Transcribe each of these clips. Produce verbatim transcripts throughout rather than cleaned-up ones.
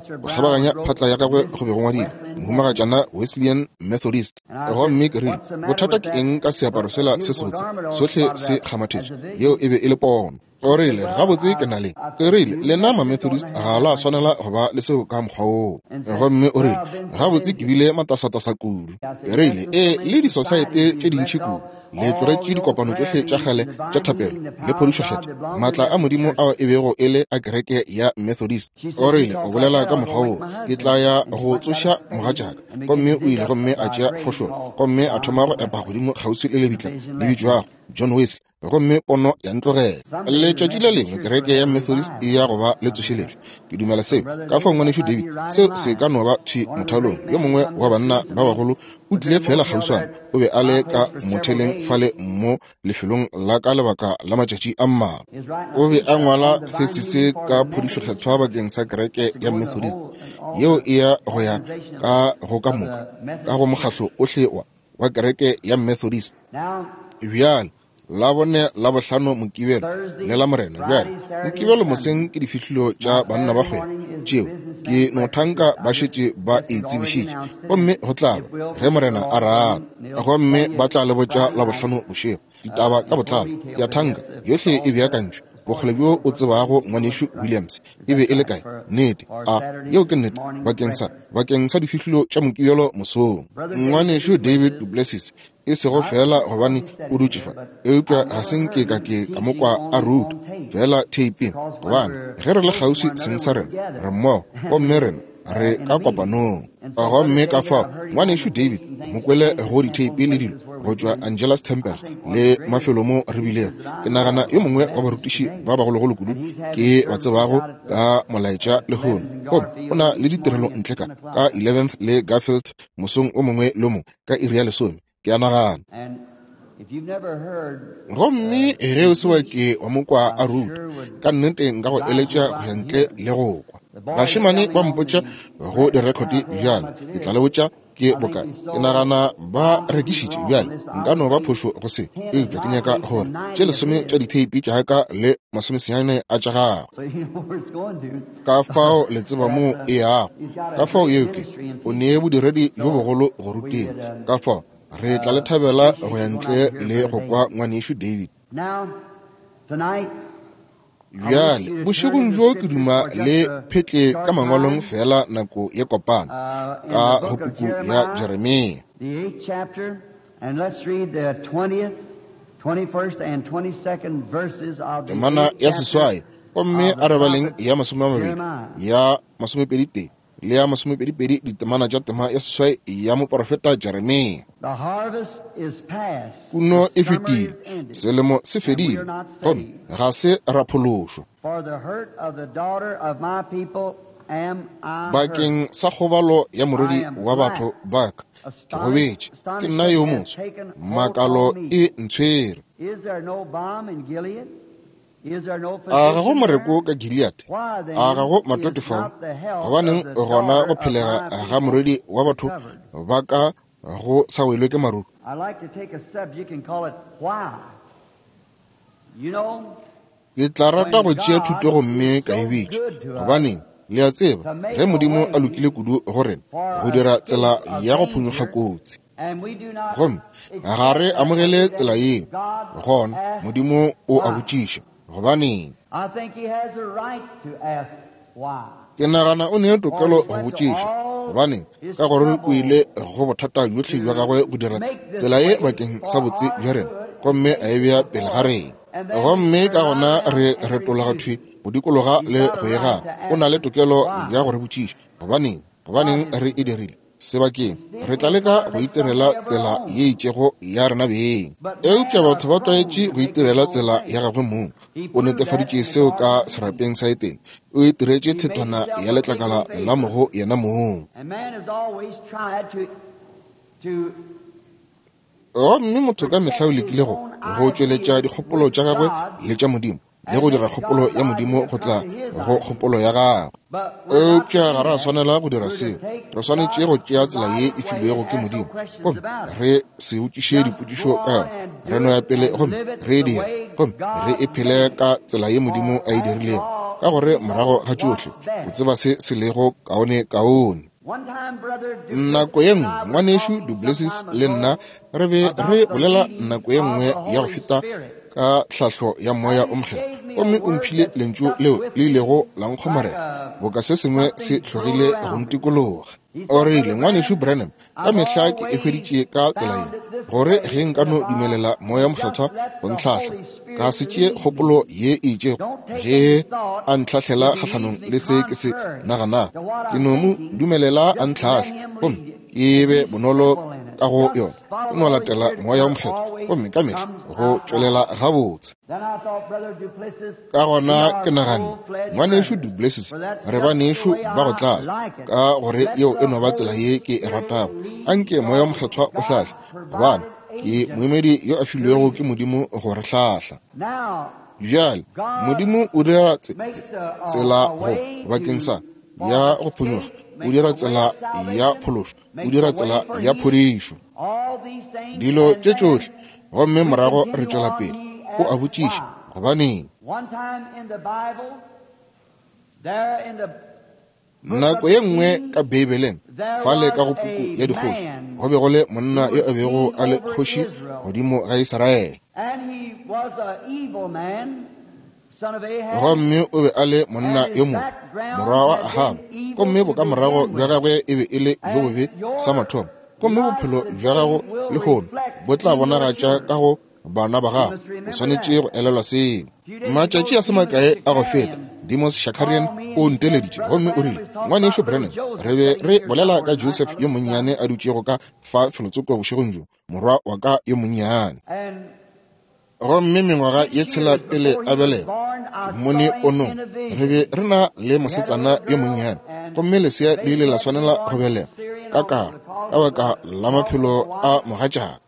Gomme go kgabaganya phatla ya gagwe go be go ngwadilwe Mohumagatšana Wesleyan Methodist. Gomme ke rile, Bothata ke eng ka seaparo sela se sebotse? Sohle se kgamathetše. Yeo e be e le pono. O rile, gabotse ke na le. Ke rile, lena ma-Methodist ga la swanela go ba le seo ka mokgwa woo. Gomme o rile, gabotse ke bile matasatasa kudu. Ke rile, ee, le disosaete tše dintši kudu. Le tlogetše dikopano tšohle tša kgale tša thapelo le phodišokgethwa, maatla a Modimo ao e bego e le a kereke ya Methodist. O rile, o bolela ka mokgwa woo, ke tla ya go tsoša mogatšaka. Gomme o ile gomme a tšea fošolo, gomme a thoma go epa godimo kgauswi le lebitla le bitšwago John Wesley. Gomme pono ya ntlogela. Letšatši le lengwe kereke ya Methodist e ya go ba le tsošeletšo. Ke dumela seo. Ka fao ngwanešu David, seo se ka no ba thwi mothalong. Yo mongwe wa banna ba bagolo o tlile fela kgauswana. O be a le ka motheleng fale mo lefelong la ka lebaka la matšatši a mmalwa. O be a ngwala thesise ka phodišokgethwa bakeng sa kereke ya Methodist, yeo e ya go ya ka go ka moka ka go mokgahlo ohle wa wa kereke ya Methodist. Bjale la bone la bohlano Mokibelo le la Morena. Bjale Mokibelo moseng ke difihlilo tša banna ba kgwebo tšeo ke no thanka ba šetše ba e tsebišitše, gomme go tla ba ge Morena a rata, gomme ba tla le botša la bohlano bošego ditaba ka botlalo. Ke a thanka yohle e beakantšwe. Bokgole bjo o tsebago ngwanešu Williams e be e le kae? Nnete, a yeo ke nnete bakeng sa bakeng sa difihlilo tša Mokibelo mosong. Ngwanešu David Duplessis, e sego fela gobane o dutše fa, eupša ga se nke ka ke ka mo kwa a ruta fela theipeng, gobane ge re le kgauswi seng sa rena re mmogo, gomme rena re ka kopanong. Gomme ka fao ngwanešu David mo kwele go ditheipi le dilo go tšwa Angelus Temple le mafelo mo re bilego. Ke nagana yo mongwe wa barutiši ba bagologolo kudu ke ba tsebago ka molaetša lehono. Gomme o na le ditirelo ntle ka ka eleventh le Garfield mosong o mongwe le mongwe ka iri ya lesome, ke a nagana. Gomme ge o se wa ke wa mo kwa a ruta, ka nnete nka go eletša go ya ntle le go kwa. Bašemane ba mpotša go direkhoti bjale, ke tla le botša ke bokae. Ke nagana ba rekišitše bjale, nka no ba phošo go se, eupša ke nyaka gore tše lesome tša ditheipi tša ka le masomesenyane a tša gagwe. Ka fao le tseba moo e yago. Ka fao yeo ke o nee bodiredi bjo bogolo go ruteng. Ka fao re tla le thabela go ya ntle le go kwa ngwanešu David. Bjale bošegong bjo ke duma le phetle ka mangwalong fela nako ye kopana ka go puku ya Jeremia. Temana ya seswai, gomme a re baleng ya masome a mabedi, ya masomepedi tee le ya masomepedipedi ditemana tša tema ya seswai ya moporofeta Jeremia. Puno e fetile, selemo se fedile, gomme ga se ra phološwa. Bakeng sa kgobalo ya morwedi wa batho ba ka ke gobetše, ke nna yo motsho, makalo e ntshwere. A ga go moreko ka Gilead? A ga go matote fao? Gobaneng gona go phelega ga morwedi wa batho ba ka go sa welwe ke maruru? Ke tla rata go tšea thuto gomme ka e bitša gobaneng. Le a tseba, ge Modimo a lokile kudu go rena go dira tsela ya go phonyokga kotsi, gomme ga re amogele tsela yeo, gona Modimo o a botšiša gobaneng. Ke nagana o ne tokelo go botšiša gobaneng, ka gore o ile go bothata bjohle bja gagwe go dira tsela ye bakeng sa botse bja rena, gomme a e bea pele ga rena. Gomme ka gona re retologa thwi go dikologa le go e gana. O na le tokelo ya go re botšiša gobaneng, gobaneng re e dirile. Sebakeng re tla leka go itirela tsela ye itšego ya rena beng, eupša batho ba tlwaetše go itirela tsela ya gagwe mong. O netefaditše seo ka serapeng sa Etene. O itiretše thetwana ya letlakala la mogo yena mong. Gomme motho ka mehla o lekile go go tšweletša dikgopolo tša gagwe le tša Modimo, le go dira kgopolo ya Modimo go tla go kgopolo ya gagwe. Eupša ga re a swanela go dira seo. Re swanetše go tšea tsela ye e filwego ke Modimo, gomme re se botšiše dipotšišo ka yona. Re no ya pele gomme re e dire, gomme re e phele ka tsela ye Modimo a e dirilego, ka gore morago ga tšohle o tseba se se lego kaone kaone. Nako ye nngwe ngwanešu Duplessis le nna re be re bolela nako ye nngwe ya go feta ka tlhahlo ya Moya o Mokgethwa, gomme o mphile lentšu leo le ilego la nkgomarela boka se sengwe se hlogile go ntikologa. O rile, Ngwanešu Branham, ka mehla ke e hweditše ka tsela ye, gore ge nka no dumelela Moya Mokgethwa go ntlhahla, ka se tšee kgopolo ye e itšego ge a ntlhahlela kgahlanong le se ke se naganago, ke no mo dumelela a ntlhahle, gomme ke be bonolo ka go yona, ke no latela Moya o Mokgethwa, gomme ka mehla go tšwelela gabotse. Ka gona ke naganne, Ngwanešu Duplessis, re banešu ba go tlala, ka gore yeo e no ba tsela ye ke e ratago. Anke Moya o Mokgethwa o hlahle, gobane ke moemedi yo a filwego ke Modimo go re hlahla. Bjale Modimo o dira tsela go bakeng sa ya go phonyokga, o dira tsela ya phološo, o dira tsela ya phodišo, dilo tše tšohle, gomme morago re tšwela pele. O a botšiša, gobaneng? Nako ye nngwe ka Beibeleng, fale ka go puku ya dikgoši, go be go le monna yo a bego a le kgoši godimo ga Israele. Gomme o be a le monna yo mobe, morwa wa Ahaba, gomme bokamorago bja gagwe e be e le bjo bobe sa mathomo, gomme bophelo bja gago lehono bo tla bonagatša ka go bana ba gago. O swanetše go elelwa seo. Matšatši a se makae a go feta, Demos Shakarian o nteleditše gomme o rile, Ngwanešu Branham, re be re bolela ka Joseph yo monnyane a dutšego ka fa felotsoko bošegong bjo, morwa wa ka yo monnyane. Gomme mengwaga ye tshela pele a belegwa, mmone ponong, re be re na le mosetsana yo monnyane, gomme lesea le ile la swanela go belegwa ka karo ka baka la maphelo a mogatšaka.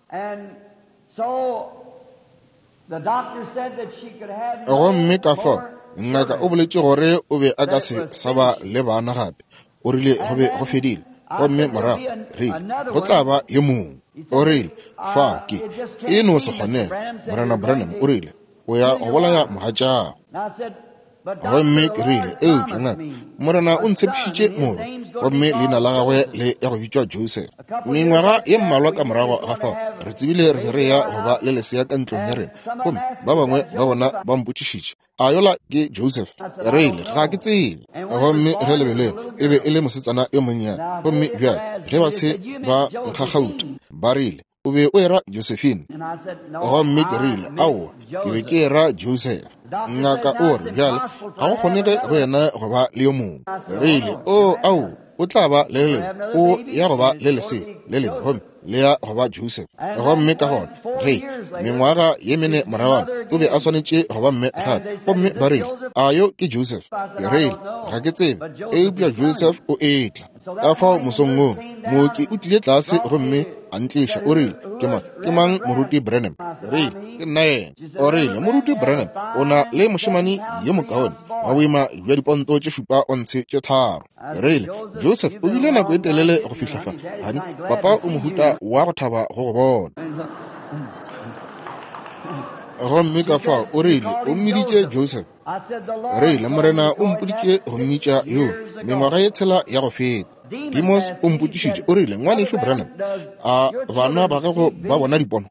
Gomme ka fao ngaka o boletše gore o be a ka se sa ba le bana gape. O rile go be go fedile. Gomme morago rile go tla ba yo mongwe. O rile fa ke e no se kgonege. Morena Branham o rile o ya go bolaya mogatšago. Gomme ke rile, eupša ngaka, Morena o ntshepišitše morwa, gomme leina la gagwe le ya go bitšwa Joseph. Mengwaga ye mmalwa ka morago ga fao, re tsebile re be re ya go ba le lesea ka ntlong ya rena, gomme ba bangwe ba bona ba mpotšišitše, a yola ke Joseph? Re ile, ga ke tsebe. Gomme ge le belegwa, e be e le mosetsana yo monnyane. Gomme bjale ge ba se ba nkgakgauta, ba rile, o be o era Josephine. Gomme ke rile, aowa, ke be ke era Joseph. Ngaka o re, bjale ga go kgonege go yena go ba le yo mongwe. Re ile, o ao, o tla ba le le lengwe, o ya go ba le lesea le lengwe, gomme le ya go ba Joseph. Gomme ka gona ge mengwaga ye mene moragwana, o be a swanetše go ba mme gape, gomme ba rile, a yo ke Joseph? Ke rile, ga ke tsebe, eupša Joseph o etla. Ka fao mosong woo, mooki o tlile tlase gomme a ntliša. O rile, ke mang, ke mang Moruti Branham? Rile, ke nna yena. O rile, Moruti Branham, o na le mošemane yo mokaone wa boima bja diponto tše šupa ontshe tše tharo. Rile, Joseph o bile nako e telele go fihla fa. Hani, papa o mohuta wa go thaba go go bona. Gomme ka fao o rile, o mmiditše Joseph. Rile, Morena o mpoditše go mmitša yo mengwaga ye tshela ya go feta. Demos o mpotšišitše, o rile, Ngwanešu Branham, a bana ba gago ba bona dipono?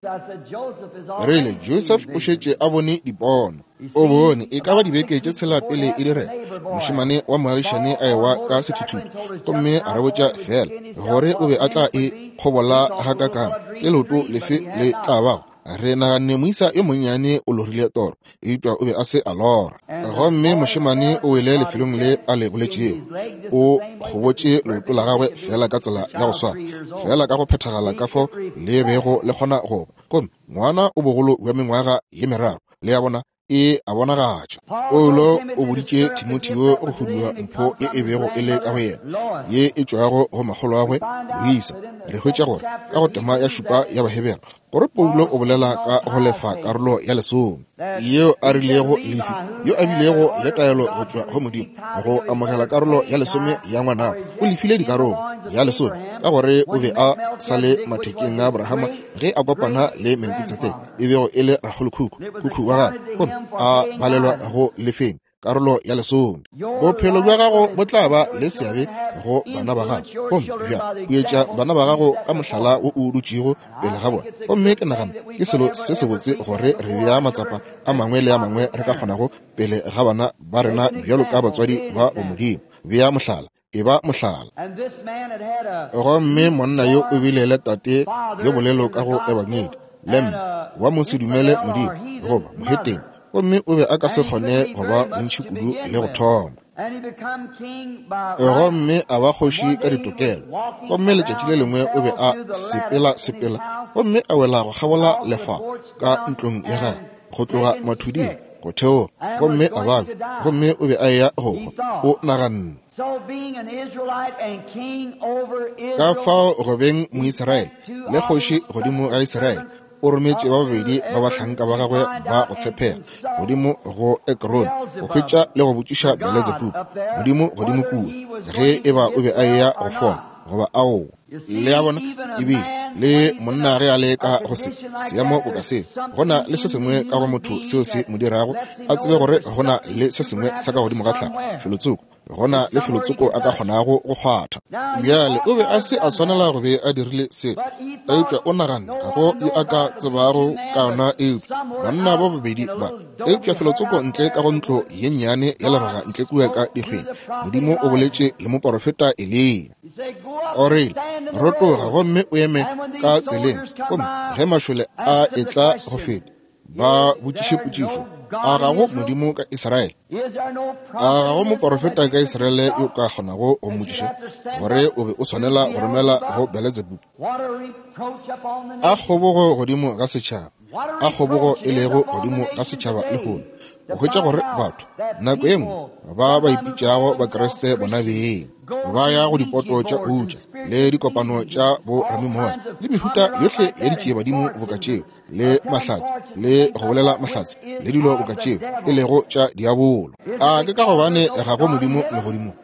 Rile, Joseph o šetše a bone dipono. O bone e ka ba dibeke tše tshela pele e direga, mošemane wa moagišane a ewa ka sethuthutu, gomme a re botša fela gore o be a tla e kgobola gakakang, ke leoto lefe le tla bago. Re naganne moisa yo monnyane o lorile toro, eupša o be a se a lora. Gomme mošemane o wele lefelong le a le boletšego, o kgobotše leoto la gagwe fela ka tsela ya go swana, fela ka go phethagala ka fao le bego le kgona go ba. Gomme ngwana o bogolo bja mengwaga ye meraro, le ya bona e a bonagatša. Paulo o boditše Timotheo go hudua mpho ye e bego e le ka go yena, ye e tšwago go makgolo agwe Luisa. Re hwetša gore ka go tema ya šupa ya Bahebere, gore Paulo o bolela ka go lefa karolo ya lesome yeo a rilego Lefi, yo a bilego le taelo go tšwa go Modimo go amogela karolo ya lesome ya ngwanabo. O lefile dikarolo ya lesome ka gore o be a sa le mathekeng a Abrahama ge a kopana le Melkitsedeke, e bego e le rakgolokhukhu, khukhu wa gagwe, gomme a balelwa go lefeng karolo ya lesome. Bophelo bja gago bo tla ba le seabe go bana ba gago, gomme bja huetša bana ba gago ka mohlala wo o dutšego pele ga bona. Gomme ke nagana ke selo se sebotse gore re bea matsapa a mangwe le a mangwe re ka kgonago pele ga bana ba rena bjalo ka batswadi ba bomodimo. Bea mohlala, e ba mohlala. Gomme monna yo o bile le tate yo bolelo ka go ebangedi le mme wa mo se dumele Modimo goba moheteng, gomme o be a ka se kgone go ba bontši kudu le go thoma. Gomme a ba kgoši ka ditokelo. Gomme letšatši le lengwe o be a sepela sepela gomme a wela go kgabola lefa ka ntlong ya gagwe go tloga mathuding go theoga, gomme a babja, gomme o be a eya go hwa. O naganne. Ka fao go beng Moisraele le kgoši godimo ga Israele, o rometše ba babedi ba bahlanka ba gagwe ba go tshepega godimo go Ekrone go hwetša le go botšiša Beelzebub, modimo godimo kua, ge e ba o be a eya go fola goba aowa. Le a bona, ebile le monna ge a le ka go se seemo boka seo, go na le se sengwe ka go motho seo se mo dirago a tsebe gore go na le se sengwe sa ka godimo ga tlhago felotsoko, go na le felotsoko a ka kgonago go kgwatha. Bjale o be a se a swanela go be a dirile seo, eupša o naganne ga go yo a ka tsebago ka yona eupša banna ba babedi ba. Eupša felotsoko ntle ka go ntlo ye nnyane ya leraga ntle kua ka dikgweng, Modimo o boletše le moporofeta Eliya. O rile, rotoga gomme o eme ka tseleng, gomme ge mašole a etla go feta ba botšiše potšišo, a ga go Modimo ka Israele? A ga go moporofeta ka Israele yo ka kgonago go mmotšiša gore o be o swanela go romela go Beelzebub? A kgobogo godimo ga setšhaba, a kgobogo e lego godimo ga setšhaba lehono, go hwetša gore batho nako ye nngwe ba ba ipitšago Bakriste bona beng ba ya go dipoto tša utša le dikopano tša bo ramimoya le mehuta yohle ya ditšiebadimo boka tšeo, le mahlatse le go bolela mahlatse le dilo boka tšeo e lego tša diabolo. A ke ka gobane ga go Modimo legodimong?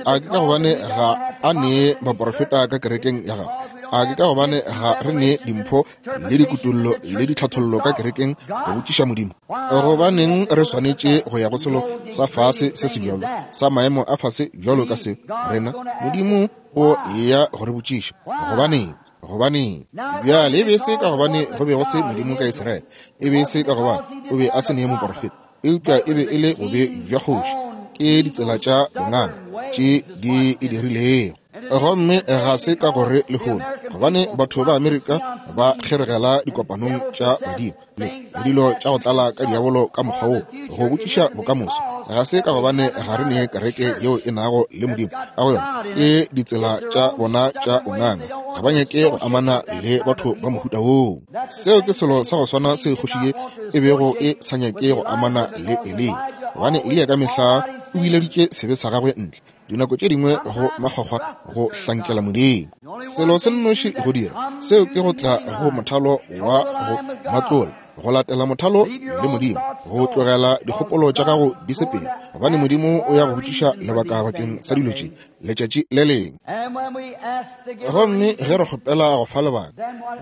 A ke ka gobane ga a nee baporofeta ka kerekeng ya gagwe? A ke ka gobane ga re nee dimpho le dikutollo le ditlhathollo ka kerekeng go botšiša Modimo? Gobaneng re swanetše go ya go selo sa fase se se bjalo, sa maemo a fase bjalo ka seo? Rena Modimo o ya go re botšiša. Gobaneng? Gobaneng? Bjale e be se ka gobane go be go se Modimo ka Israele, e be se ka gobane o be a se nee moporofeta, eupša e be e le bobe bja kgoši, ke ditsela tša bonganga tše di e dirilego. Gomme ga se ka gore lehono gobane batho ba Amerika ba kgeregela dikopanong tša badimo le dilo tša go tlala ka diabolo ka mokgwa wo go botšiša bokamoso, ga se ka gobane ga re nee kereke yeo e nago le Modimo ka go yona, ke ditsela tša bona tša bonganga, ga ba nyake go amana le batho ba mohuta woo. Seo ke selo sa go swana se kgoši ye e bego e sa nyake go amana le Eliya, gobane Eliya ka mehla o bileditše sebe sa gagwe ntle, dinako tše dingwe go makgwakgwa go hlankela Modimo. Selo se nnoši go dira seo ke go tla go mothalo wa go matlola, go latela mothalo le Modimo, go tlogela dikgopolo tša gago di sepele, gobane Modimo o ya go botšiša lebaka bakeng sa dilo tše letšatši le lengwe. Gomme ge re kgopela go fa lebaka,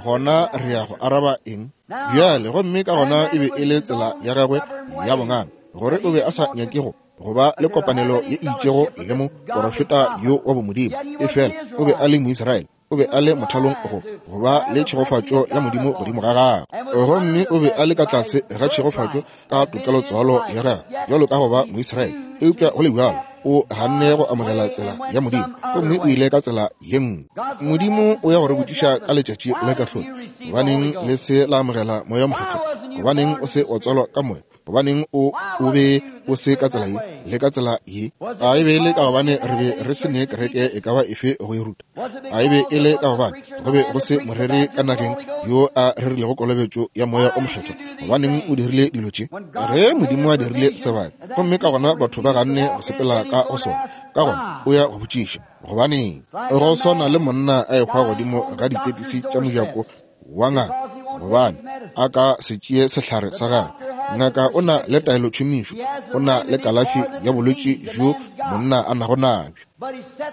gona re ya go araba eng? Bjale gomme ka gona e be e le tsela ya gagwe ya bonganga, gore o be a sa nyake go go ba le kopanelo ye e itšego le moporofeta yo wa bomodimo, efela o be a le Moisraele, o be a le mothalong go go ba le tšhegofatšo ya Modimo godimo ga gagwe, gomme o be a le ka tlase ga tšhegofatšo ka tokelotswalo ya gagwe bjalo ka go ba Moisraele, eupša go le bjalo o ganne go amogela tsela ya Modimo, gomme o ile ka tsela ye nngwe. Modimo o ya go re botšiša ka letšatši la kahlolo, gobaneng le se la amogela Moya Mokgethwa? Gobaneng o se wa tswalwa ka Moya? Gobaneng o o be o se ka tsela ye le ka tsela ye? A e be e le ka gobane re be re se ne kereke e ka ba efe go e ruta? A e be e le ka gobane go be go se moreri ka nageng yo a rerilego kolobetšo ya Moya o Mokgethwa? Gobaneng o dirile dilo tše? Ge Modimo a dirile sebaka, gomme ka gona batho ba ganne go sepela ka go sona, ka gona o ya go botšiša gobaneng. Go swana le monna a ehwa godimo ga ditepisi tša mojako wa ngaka, gobane a ka se tšee sehlare sa gagwe. Ngaka o na le taelotšhomišo, o na le kalafi ya bolwetši bjo monna a nago nabjo.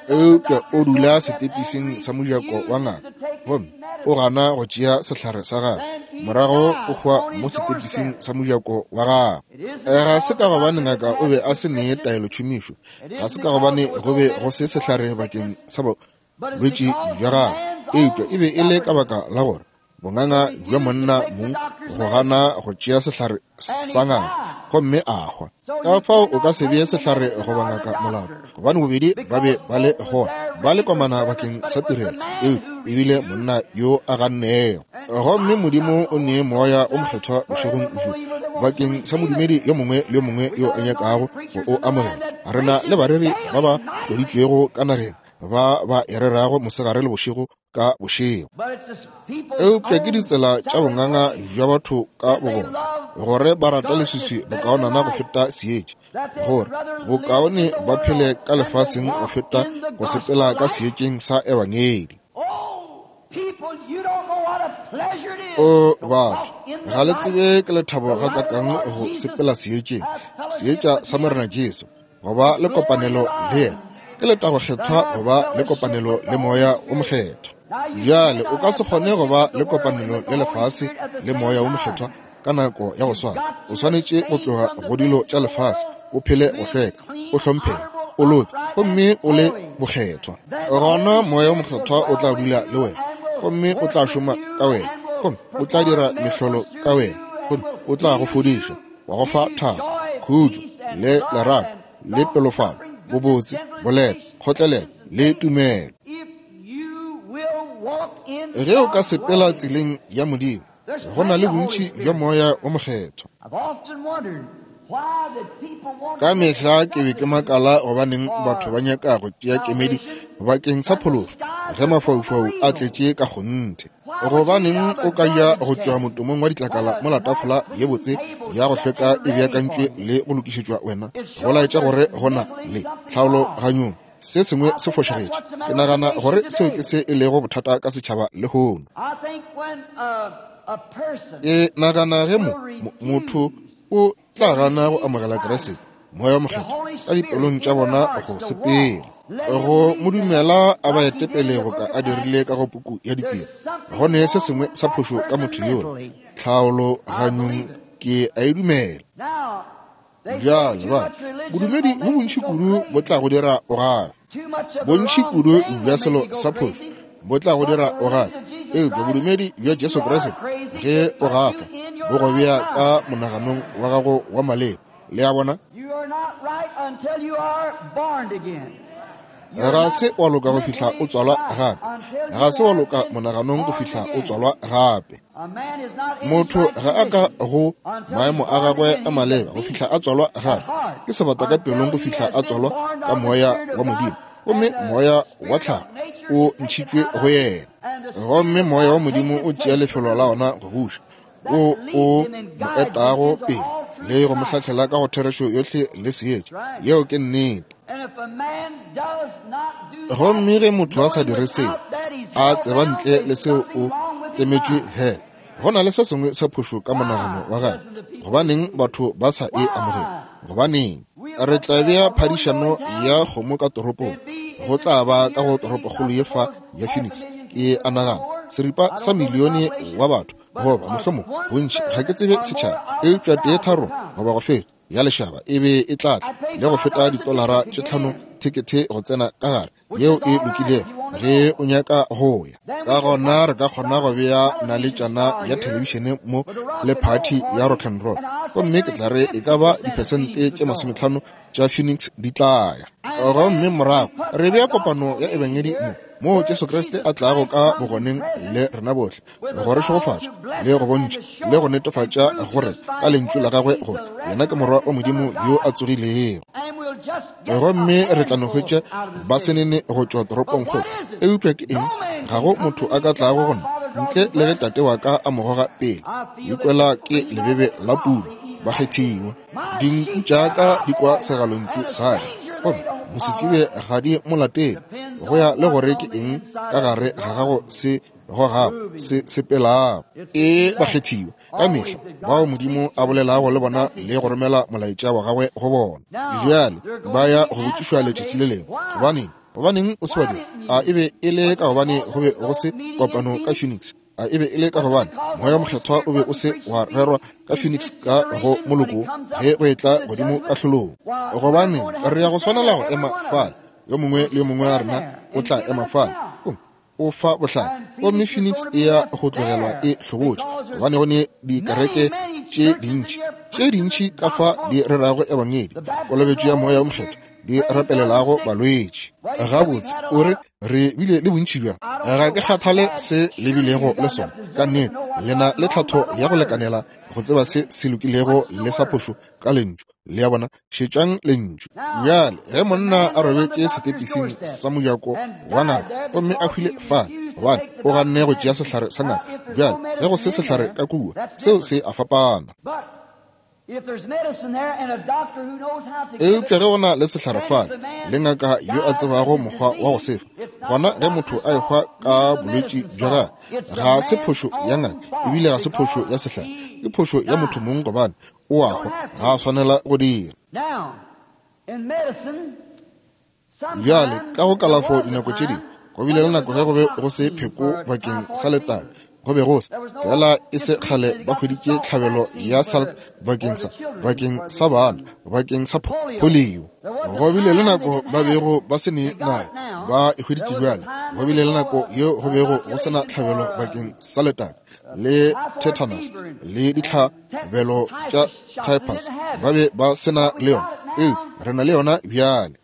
Eupša o dula setepising sa mojako wa ngaka, gomme o gana go tšea sehlare sa gagwe, morago o hwa mo setepising sa mojako wa gagwe. Ga se ka gobane ngaka o be a se nee taelotšhomišo, ga se ka gobane go be go se sehlare bakeng sa bolwetši bja gagwe, eupša e be e le ka baka la gore bonganga bja monna mong go gana go tšea sehlare sa ngaka, gomme a hwa. Ka fao o ka se bee sehlare goba ngaka molato, gobane bobedi ba be ba le gona, ba le komana bakeng sa tirelo, eupša ebile monna yo a gannego. Gomme Modimo o nee Moya o Mokgethwa bošegong bjo bakeng sa modumedi yo mongwe le yo mongwe yo a nyakago go o amogela. Re na le bareri ba ba tloditšwego ka nageng ba ba e rerago mosegare le bošego ka bošego. Eupša ke ditsela tša bonganga bja batho ka bobona, gore ba rata leswiswi bokaonana go feta seetša, gore bokaone ba phele ka lefaseng go feta go sepela ka seetšeng sa ebangedi. O batho, ga le tsebe ke lethabo gakakang go sepela seetšeng, seetša sa Morena Jesu, go ba le kopanelo le yena. Ke letago kgethwa go ba le kopanelo le Moya o Mokgethwa. Bjale o ka se kgone go ba le kopanelo le lefase le Moya o Mokgethwa ka nako ya go swana. O swanetše go tloga go dilo tša lefase, o phele go hlweka, o hlomphege, o loke, gomme o le bokgethwa. Gona Moya o Mokgethwa o tla dula le wena, gomme o tla šoma ka wena, gomme o tla dira mehlolo ka wena, gomme o tla go fodiša, wa go fa thabo, khutšo, le lerato, le pelofalo, bobotse, boleta, kgotlelelo le tumelo. Ge o ka sepela tseleng ya Modimo, go na le bontši bja Moya o Mokgethwa. Ka mehla ke be ke makala gobaneng batho ba nyaka go tšea kemedi bakeng sa phološo ge mafaufau a tletše ka kgonthe. Gobaneng o ka ja go tšwa motomong wa ditlakala mola tafola ye botse ya go hlweka e beakantšwe le go lokišetšwa wena, go laetša gore go na le tlhaologanyong se sengwe se fošagetše. Ke nagana gore seo ke se e lego bothata ka setšhaba lehono. Ke nagana ge mo motho o tla gana go amogela Kriste, Moya o Mokgethwa, ka dipelong tša bona go sepela, go mo dumela a ba etepele boka a dirile ka go puku ya ditiro, go ne se sengwe sa phošo ka motho yola. Tlhaologanyong ke a e dumela. Bjale ba bodumedi bo bontši kudu bo tla go dira o gafe, bontši kudu bja selo sa phošo bo tla go dira o gafe, eupša bodumedi bja Jesu Kriste ge o gafa bo go bea ka monaganong wa gago wa maleba. Le a bona? Ga se wa loka go fihla o tswalwa gape. Ga se wa loka monaganong go fihla o tswalwa gape. Motho ga a ka go maemo a gagwe a maleba go fihla a tswalwa gape. Ke sebata ka pelong go fihla a tswalwa ka moya wa Modimo, gomme moya wa tlhago o ntšhitšwe go yena. Gomme moya wa Modimo o tšea lefelo la ona go buša, o o mo etago pele le go mo hlahlela ka go therešo yohle le seetša. Yeo ke nnete. Gomme ge motho a sa dire seo, a tseba ntle le seo o tlemetšwe hela, go na le se sengwe sa phošo ka monagano wa gagwe. Gobaneng batho ba sa e amogele? Gobaneng? Re tla bea phadišano ya kgomo ka toropong. Go tla ba ka go toropokgolo ye fa ya Phoenix, ke a nagana seripa sa milione wa batho, goba mohlomong bontši, ga ke tsebe setšhaba, eupša tee tharo goba go feta ya lešaba e be e tla tla le go feta ditolara tše tlhano thekethe go tsena ka gare, yeo e lokilego ge o nyaka go ya. Ka gona re ka kgona go bea naletšana ya thelebišene mo le phathi ya rock and roll, gomme ke tla re e ka ba diphesente tše masometlhano tša Phoenix di tla ya. Gomme morago re bea kopano ya ebangedi mo, moo Jesu Kriste a tlago ka bogoneng le rena bohle, go re šegofatša le go bontšha le go netefatša gore ka lentšu la gagwe gore yena ke Morwa wa Modimo yo a tsogilego. Gomme re tla no hwetša ba senene go tšwa toropongkgolo. Eupša ke eng? Ga go motho a ka tlago go nna ntle le ge Tate wa ka a mo goga pele. Ikwela ke lebebe la puno, bakgethiwa. Dinku tša ka di kwa segalontšu sa ka, gomme mosetsebje ga di mo latele. Go ya le gore ke eng ka gare ga gago se gogago, se sepelago. E bakgethiwa ka mehla bao Modimo a bolelago le bona le go romela molaetša wa gagwe go bona. Bjale ba ya go botšišwa letšatši le lengwe, gobaneng gobaneng o se wa dira? A e be e le ka gobane go be go se kopano ka Phoenix? A e be e le ka gobane Moya Mokgethwa o be o se wa rerwa ka Phoenix ka go moloko ge go etla godimo kahlolong? Gobane re ya go swanela go ema fale, yo mongwe le yo mongwe wa rena o tla ema fale o fa bohlatse. Gomme Phoenix e ya go tlogelwa e hlobotše, gobane go ne dikereke tše dintši tše dintši ka fa di rerago ebangedi, kolobetšo ya Moya o Mokgethwa, di rapelelago balwetši. Gabotse, o re re bile le bontši bjang? Ga ke kgathale se le bilego le sona. Ka nnete le na le tlhatho ya go lekanela go tseba se se lokilego le sa phošo ka lentšu. Le ya bona, šetšang lentšu. Bjale ge monna a robetše setepising sa mojako wa ngaka gomme a hwile fale gobane o ganne go tšea sehlare sa ngaka, bjale ge go se sehlare ka kua, seo se a fapana. Eupša ge go na le sehlare fale le ngaka yo a tsebago mokgwa wa go sefa, gona ge motho a ehwa ka bolwetši bja gagwe, ga se phošo ya ngaka ebile ga se phošo ya sehlare, ke phošo ya motho mong gobane o a hwa, ga a swanela go dira. Bjale ka go kalafo dinako tše dingwe go bile le nako ge go be go se pheko bakeng sa letaba, go be go se fela e se kgale ba hweditše tlhabelo ya salk bakeng sa bakeng sa bana, bakeng sa polio. Go bile le nako ba bego ba se ne nayo, ba e hweditše bjale. Go bile le nako yeo go bego go se na tlhabelo bakeng sa letaba le tetanus le ditlhabelo tša typhus, ba be ba se na le yona. Ee, re na le yona bjale.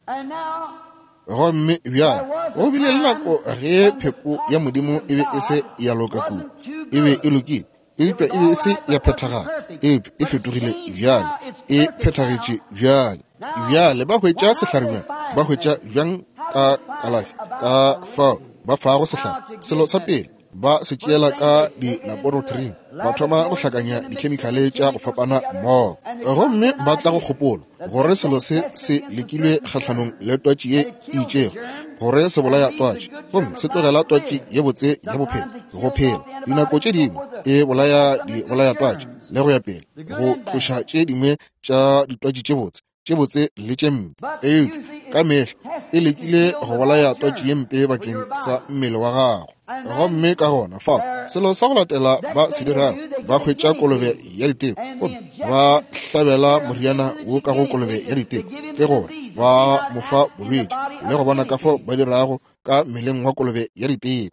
Gomme bjale go bile le nako ge pheko ya Modimo e be e se ya loka kudu, e be e lokile, eupša e be e se ya phethagala, eupša e fetogile bjale, e phethagetše bjale. Bjale ba hwetša sehlare bjang? Ba hwetša bjang ka kalafi? Ka fao ba fago sehlare, selo sa pele ba se tšeela ka dilaboratoring, ba thoma go hlakanya dikhemikhale tša go fapana mmogo, gomme ba tla go kgopolo gore selo se se lekilwe kgahlanong le twatši ye e itšego, gore se bolaya twatši gomme se tlogela twatši ye botse ya bophelo go phela. Dinako tše dingwe e bolaya dibolaya twatši le go ya pele, go tloša tše dingwe tša ditwatši tše botse tše botse le tše mpe, eupša ka mehla e lekile go bolaya twatši ye mpe bakeng sa mmele wa gago. Gomme ka gona fao selo sa go latela ba se dirago, ba hwetša kolobe ya diteko gomme ba hlabela moriana wo ka go kolobe ya diteko, ke gore ba mo fa bolwetši le go bona ka fao ba dirago ka mmeleng wa kolobe ya diteko.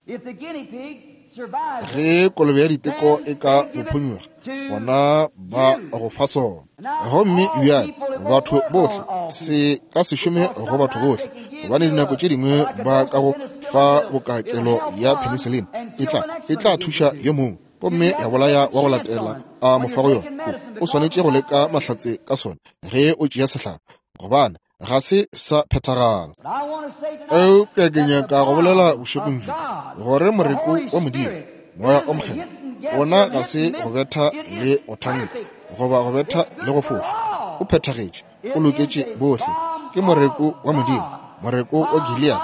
Ge kolobe ya diteko e ka bophonyuga, gona ba go fa sona. Gomme bjale batho bohle, se ka se šome go batho bohle, gobane dinako tše dingwe ba ka go fa bokakelo ya penicillin, e tla e tla thuša yo mongwe gomme ya bolaya wa go latela a mo fa go yona. O swanetše go leka mahlatse ka sona ge o tšea sehlare, gobane ga se sa phethagala. Eupša ke nyaka go bolela bošegong bjo gore moreko wa Modimo, Moya o Mokgethwa, wona ga se go betha le go thanka goba go betha le go foša, o phethagetše, o loketše bohle. Ke moreko wa Modimo, moreko wa Gilead,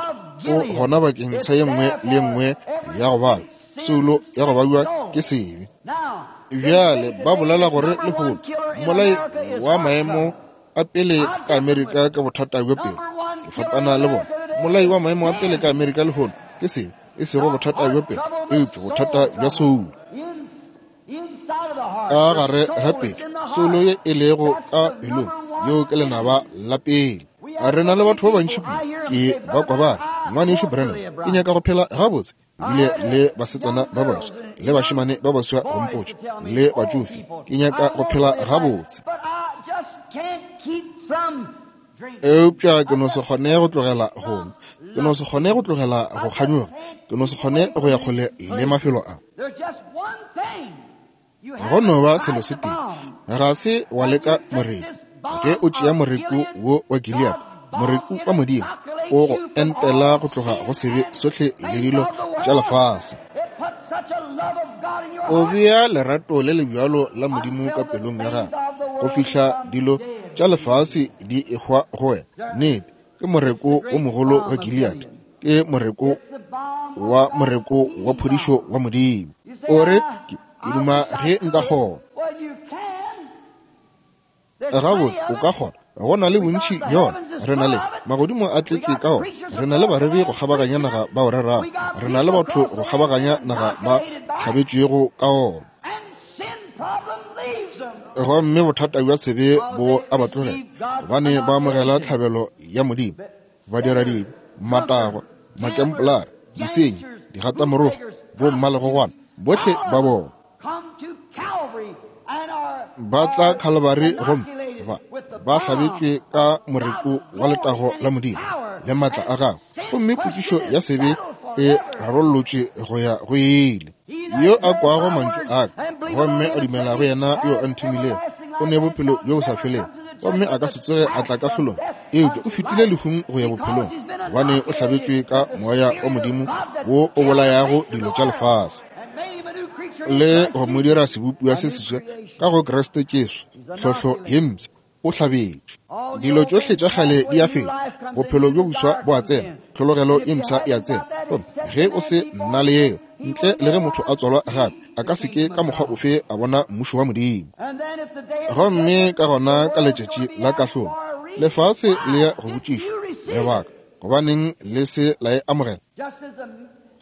o gona bakeng sa ye nngwe le ye nngwe ya go bala soulo ya go babiwa ke sebe. Bjale ba bolela gore lehono mmolai wa maemo a pele ka Amerika ka bothata bja pelo. Ke fapana le bona. Mmolai wa maemo a pele ka Amerika lehono ke sebe, e sego bothata bja pelo, eupša bothata bja soulo. Ka gare ga pelo, soulo ye e lego ka pelong, yeo ke lenaba la pele. Re na le batho ba bantši kudu, ke ba kwa ba re, Ngwanešu Branham, ke nyaka go phela gabotse, ebile le basetsana ba baswa le bašemane ba baswa go mpotša, le batšofe, ke nyaka go phela gabotse. Eupša ke no se kgone go tlogela go nwa, ke no se kgone go tlogela go kganyoga, ke no se kgone go ya kgole le mafelo a. Go no ba selo se tee, ga se wa leka moreku. Ge o tšea moreku wo wa Gilead, moreku wa Modimo, o go entela go tloga go sebe sohle le dilo tša lefase. O bea lerato le le bjalo la Modimo ka pelong ya gago go fihla dilo tša lefase di ehwa go wena. Nnete, ke moreko o mogolo wa Gilead, Ke moreko wa moreko wa phodišo wa Modimo. O re, ke duma ge nka kgona. Gabotse, o ka kgona. Go na le bontši bjona. Re na le magodimo a tletše ka ona. Re na le bareri go kgabaganya naga ba o rerago. Re na le batho go kgabaganya naga ba hlabetšwego ka ona. Gomme bothata bja sebe bo a ba tlogela, gobane ba amogela tlhabelo ya Modimo. Badiradibe, matagwa, makempolara, disenyi, digatamorogo, bommalegogwana, bohle ba bona ba tla Khalibari gomme ba ba hlabetšwe ka moreko wa letago la Modimo le maatla a gagwe, gomme potšišo ya sebe e rarollotšwe go ya go ile. Yo a kwago mantšu a ka gomme a dumela go yena yo a nthomilego o ne bophelo bjo bo sa felego, gomme a ka se tsoge a tla kahlolong, eupša o fetile lehung go ya bophelong, gobane o hlabetšwe ka moya wa Modimo wo o bolayago dilo tša lefase le go mo dira sebopiwa se seswa ka go Kriste Jesu. Tlhohlo ye mpsha, o hlabetšwe. Dilo tšohle tša kgale di a feta, bophelo bjo boswa bo a tsena, tlhologelo ye mpsha e a tsena. Gomme ge o se nna le yeo, ntle le ge motho a tswalwa gape, a ka se ke ka mokgwa ofe a bona mmušo wa Modimo. Gomme ka gona ka letšatši la kahlolo, lefase le ya go botšišwa lebaka gobaneng le se la e amogela.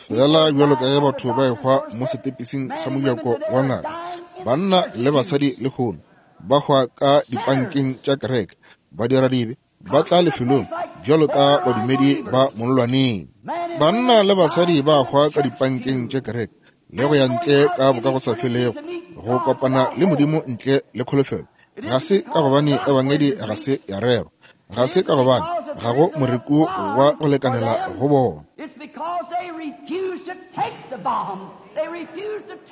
Fela bjalo ka ge batho ba ehwa mo setepising sa mojako wa ngaka, banna le basadi lehono ba hwa ka dipankeng tša kereke, badiradibe ba tla lefelong bjalo ka badumedi ba mollwaneng. Banna le basadi ba hwa ka dipankeng tša kereke le go ya ntle ka bokagosafelego go kopana le Modimo ntle le kholofelo. Ga se ka gobane ebangedi ga se ya rerwa, ga se ka gobane ga go moreko wa go lekanela go bona.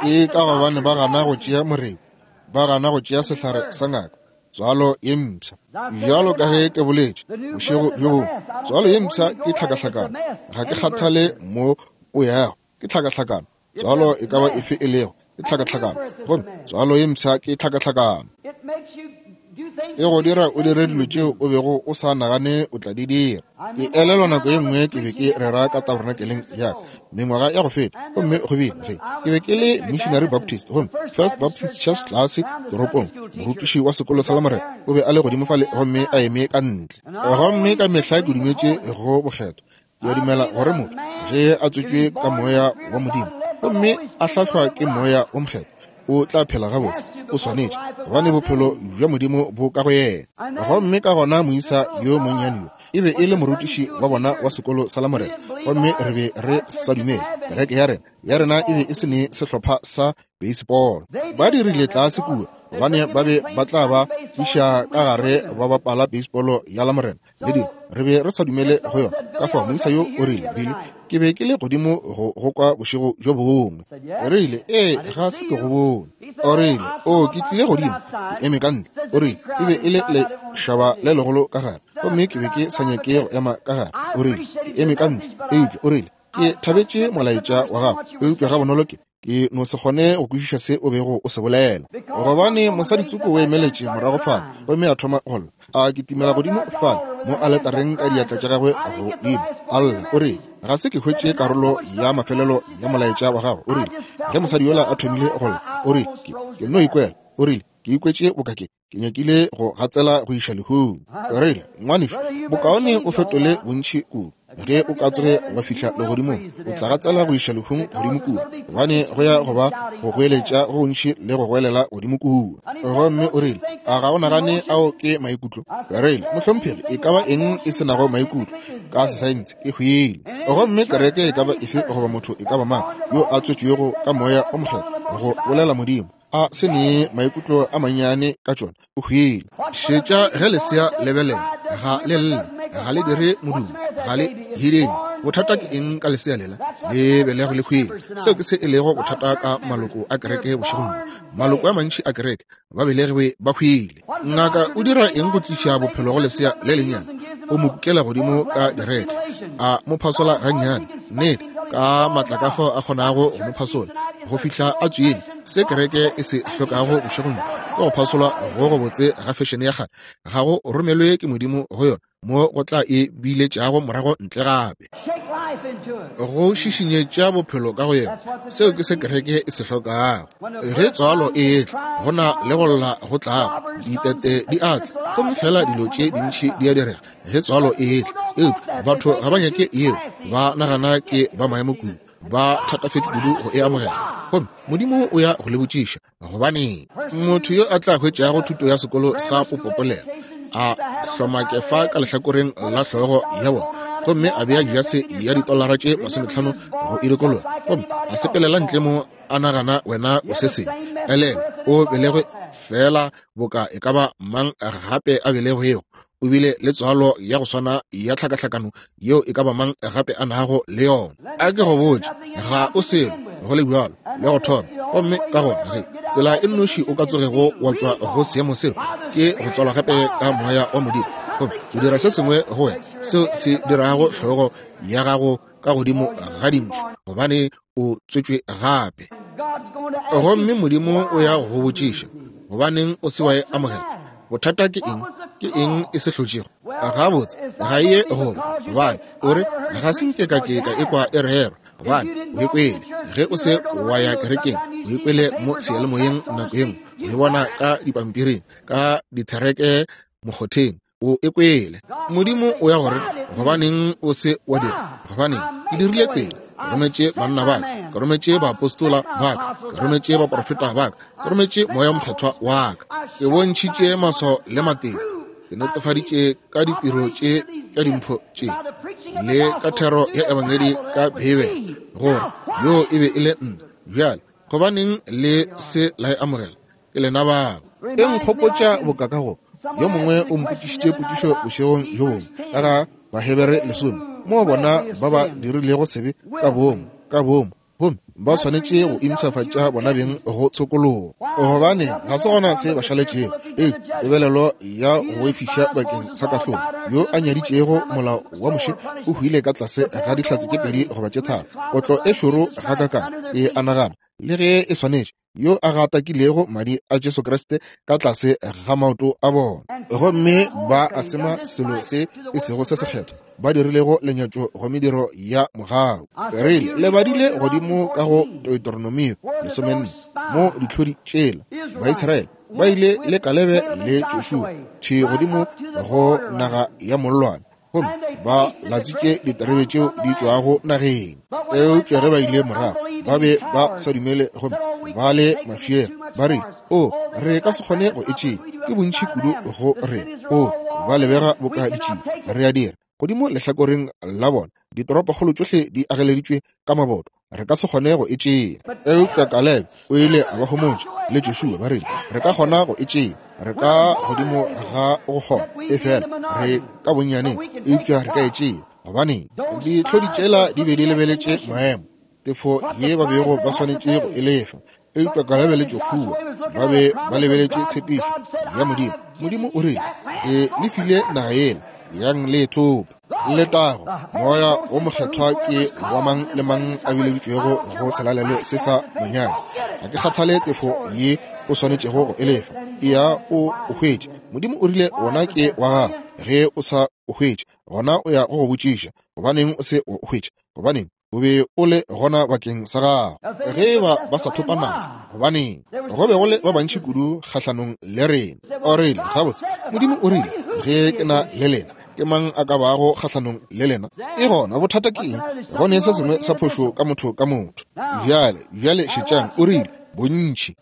Ke ka gobane ba gana go tšea moreko, ba gana go tšea sehlare sa ngaka, tswalo ye mpsha. Bjalo ka ge ke boletše bošego bjo bongwe, tswalo ye mpsha ke tlhakahlakano. Ga ke kgathale mo o yago, ke tlhakahlakano. Tswalo e ka ba efe e lego, ke tlhakahlakano. Gomme tswalo ye mpsha ke tlhakahlakano. E go dira o dire dilo tšeo o bego o sa nagane o tla di dira. Ke elelwa nako ye nngwe ke be ke rera ka tabernakeleng ya ka mengwaga ya go feta, gomme go bile ge ke be ke le Missionary Baptist, gomme First Baptist Church tlase toropong, morutiši wa sekolo sa Lamorena o be a le godimo fale gomme a eme ka ntle. Gomme ka mehla ke dumetše go bokgethwa. Ke a dumela gore motho ge a tswetšwe ka moya wa Modimo gomme a hlahlwa ke moya wo mokgethwa, o tla phela gabotse, o swanetše, gobane bophelo bja Modimo bo ka go yena. Gomme ka gona moisa yo monnyane yo e be e le morutiši wa bona wa sekolo sa Lamorena, gomme re be re sa dumele. Kereke ya rena ya rena e be e se ne sehlopha sa baseball. Ba dirile tlase kua gobane ba be ba tla ba tliša ka gare ba bapala baseball ya Lamorena le dilo. Re be re sa dumele go yona. Ka fao moisa yo o rile, Billy, ke be ke le godimo go go kwa bošego bjo bongwe. O rile, ee, ga se ke go bone. O rile, o ke tlile godimo, ke eme ka ntle. O rile, e be e le lešaba le legolo ka gare, gomme ke be ke sa nyake go ema ka gare. O rile, ke eme ka ntle, eupša o rile, ke thabetše molaetša wa gago, eupša ga bonolo ke ke no se kgone go kwešiša se o bego o se bolela. Gobane mosaditsoko o emeletše morago fale gomme a thoma go lla, a kitimela godimo fale mo aletareng ka diatla tša gagwe godimo, a lla. O rile, ga se ke hwetše karolo ya mafelelo ya molaetša wa gago. O rile, ge mosadi yola a thomile go lla, o rile, ke, ke no ikwela. O rile, ke ikwetše bokake, ke nyakile go gatsela go iša lehung. O rile, ngwanešu, bokaone o fetole bontši kudu. Ge o ka tsoge wa fihla legodimong, o tla gatsela go iša lehung godimo kua, gobane go ya go ba go goeletša go gontši le go goelela godimo kua. Gomme o rile, a ga o nagane ao ke maikutlo? Ke rile, mohlomphegi, e ka ba eng e se nago maikutlo ka sesaense e hwile. Gomme kereke e ka ba efe goba motho e ka ba mang yo a tswetšwego ka moya o mokgethwa go bolela Modimo a se ne maikutlo a mannyane ka tšona, o hwile. Šetša ge lesea lebelela, ga le lle, ga le dire modumo, ga le hideng. Bothata ke eng ka lesea lela? Le belego le hwile. Seo ke se e lego bothata ka maloko a kereke bošegong bjo. Maloko a mantši a kereke ba belegwe ba hwile. Ngaka o dira eng go tliša bophelo go lesea le lennyane? O mo kukela godimo ka direthe, a mo phasola gannyane, nnete, ka matla ka fao a kgonago go mo phasola go fihla a tswile. Se kereke e se hlokago bošegong ke go phasolwa go gobotse ga fešene ya kgale. Ga go romelwe ke Modimo go yona. mo go tla e biletšago morago ntle gape. Go šišinyetša bophelo ka go yena, seo ke se kereke e se hlokago. Ge tswalo e etla, go na le go lla go tlago, ditete di a tla, gomme fela dilo tše dintši di a direga ge tswalo e etla. Eupša batho ga ba nyake yeo, ba nagana ke ba maemo kudu, ba thatafetše kudu go e amogela. Gomme Modimo o ya go le botšiša, gobaneng motho yo a tla hwetšago thuto ya sekolo sa popopolelo a hloma kefa ka lehlakoreng la hlogo ya bona, gomme a bea jase ya ditolara tše masometlhano go e dikologa, gomme a sepelela ntle mo a nagana wena o se sengwe. Elena o belegwe fela boka e ka ba mang gape a belegwego, o bile le tswalo ya go swana ya tlhakahlakano yeo e ka ba mang gape a nago le yona. A ke go botše, ga o selo go le bjalo le go thoma. Gomme ka gona ge tsela e nnoši o ka tsogego wa tšwa go seemo seo ke go tswalwa gape ka moya wa Modimo, gomme o dira se sengwe go wena seo se dirago hlogo ya gago ka godimo ga dintšhu, gobane o tswetšwe gape. Gomme Modimo o ya go botšiša, gobaneng o se wa e amogela? Bothata ke eng? Ke eng e se hlotšego? Gabotse ga e ye goba, gobane o re ga se nke ka ke ka ekwa e rerwa, gobane o e kwele ge o se wa ya kerekeng, o e kwele mo seyalemoyeng nako ye nngwe, o e bona ka dipampiring, ka dithereke mokgotheng, o e kwele. Modimo o ya gore gobaneng o se wa dira? Gobaneng ke dirile tsela, ke rometše banna ba ka, ke rometše baapostola ba ka, ke rometše baprofeta ba ka, ke rometše moya mokgethwa wa ka, ke bontšhitše maswao le matete, ke netefaditše ka ditiro tše tša dimpho tše le ka thero ya ebangedi ka Beibele gore yo e be e le nna. Bjale gobaneng le se la e amogela? Ke lena bao. E nkgopotša boka ka go yo mongwe o mpotšišitše potšišo bošegong bjo bongwe ka ga Bahebere lesome, moo bona ba ba dirilego sebe ka boomo ka boomo, gomme ba swanetše go impshafatša bona beng go tshokologo, gobane ga se gona se ba šaletšego e tebelelo ya go boifiša bakeng sa kahlolo. Yo a nyaditšego molao wa Moshe o hwile ka tlase ga dihlatse tše pedi goba tše tharo. Kotlo e šoro gakakang e a nagana, le ge e swanetše, yo a gatakilego madi a Jesu Kriste ka tlase ga maoto a bona, gomme ba a sema selo se e sego se sekgethwa, ba dirilego lenyatšo go mediro ya mogau. Rile le badile godimo ka go Deuteronomio lesomenne, mo ditlhodi tšela Baisraele ba ile le Kalebe le Joshua thwi godimo go naga ya mollwane, gomme ba latswitše diterebe tšeo di tšwago nageng. Eupša ge ba ile morago ba be ba sa dumele, gomme ba le mafiela, ba re o re ka se kgone go e tšea, ke bontši kudu go re o ba lebega boka ditšie, re a dira godimo lehlakoreng la bona, ditoropokgolo tšohle di ageleditšwe ka maboto, re ka se kgone go e tšea. Eupša Kalebe o ile a ba homotša le Joshua, ba rile re ka kgona go e tšea, re ka godimo ga go kgona, e fela re ka bonnyaneng, eupša re ka e tšea. Gobaneng? Ditlhodi tšela di be di lebeletše maemo, tefo ye ba bego ba swanetše go e lefa. Eupša Kalebe le Joshua ba be ba lebeletše tshepišo ya Modimo. Modimo o rile, ke le file naga yela, yang le e thope. Letago, moya wo mokgethwa ke wa mang le mang a bileditšwego go selalelo se sa monyanya. Ga ke kgathale tefo ye o swanetšego go e lefa, eya o o hwetše. Modimo o rile wona ke wa gago, ge o sa o hwetše gona o ya go go botšiša gobaneng o se o hwetše, gobaneng o be o le gona bakeng sa gago. Ge ba ba sa thopa naga, gobaneng go be go le ba bantši kudu kgahlanong le rena. O rile gabotse, Modimo o rile ge ke na le lena, ke mang a ka bago kgahlanong le lena? E gona bothata ke eng? Go ne se sengwe sa phošo ka motho ka motho. Bjale bjale šetšang, o rile bontši.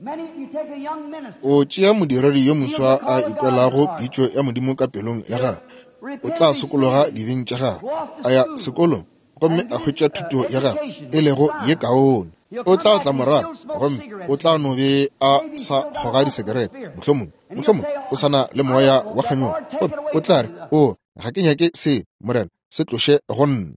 O tšea modiredi yo moswa a ikwelago pitšo ya Modimo ka pelong ya gagwe, o tla sokologa dibeng tša gagwe, a ya sekolong gomme a hwetša thuto ya gagwe e lego ye kaone. O tla tla morago gomme o tla no be a sa kgoga disekerete, mohlomong mohlomong o sa na le moya wa kganyogo, gomme o tla re o ga ke nyake se, Morena, se tloše go nna.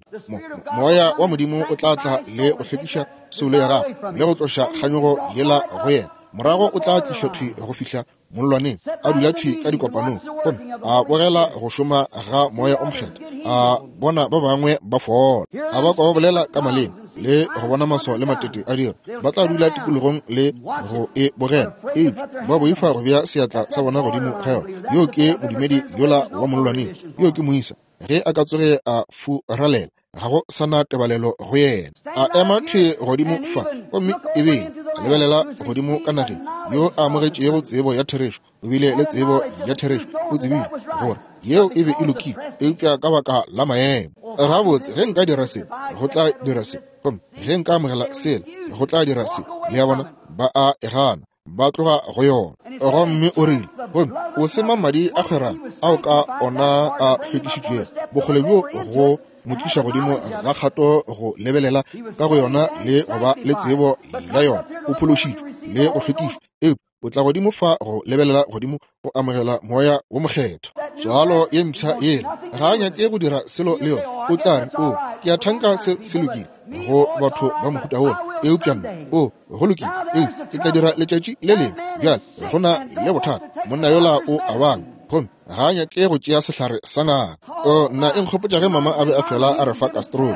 Moya wa Modimo o tla tla le go hlwekiša soulo ya gago le go tloša kganyogo yela go yena. Morago o tla tlišwa thwi go fihla mollwaneng, a dula thwi ka dikopanong, gomme a bogela go šoma ga Moya o Mokgethwa, a bona ba bangwe ba fola, a ba kwa ba bolela ka maleme, le go bona maswao le matete a dira. Ba tla dula tikologong le go e bogela, eupša ba boifa go bea seatla sa bona godimo ga yona. Yo ke modumedi yola wa mollwaneng, yo ke moisa. Ge a ka tsoge a furalela, ga go sana tebalelo go yena. A ema thwi godimo fa, gomme ebile a lebelela godimo ka nageng, yo a amogetšego tsebo ya therešo, o bile le tsebo ya therešo, o tsebile gore yeo e be e lokile, eupša ka baka la maemo. Gabotse, ge nka dira se, go tla dira se, gomme ge nka amogela sela, go tla dira se. Le a bona, ba a e gana, ba tloga go yona. Gomme o rile, gomme o sema madi a kgwerano ao ka ona a hlwekišitšwego, bokgole bjo go mo tliša godimo ga kgato go lebelela ka go yona le go ba le tsebo ya yona, o phološitšwe le go hlwekišwa, eupša o tla godimo fa go lebelela godimo go amogela Moya wo Mokgethwa. Tswalo ye mpsha yela ga a nyake go dira selo le yona. O tla re, o, ke a thanka se se lokile go batho ba mohuta wola, eupša nna, o, go lokile, eupša ke tla dira letšatši le lengwe. Bjale go na le bothata, monna yola o a bala, gomme ga a nyake go tšea sehlare sa ngaka. O, nna e nkgopotša ge mama a be a fela a re fa kastroli.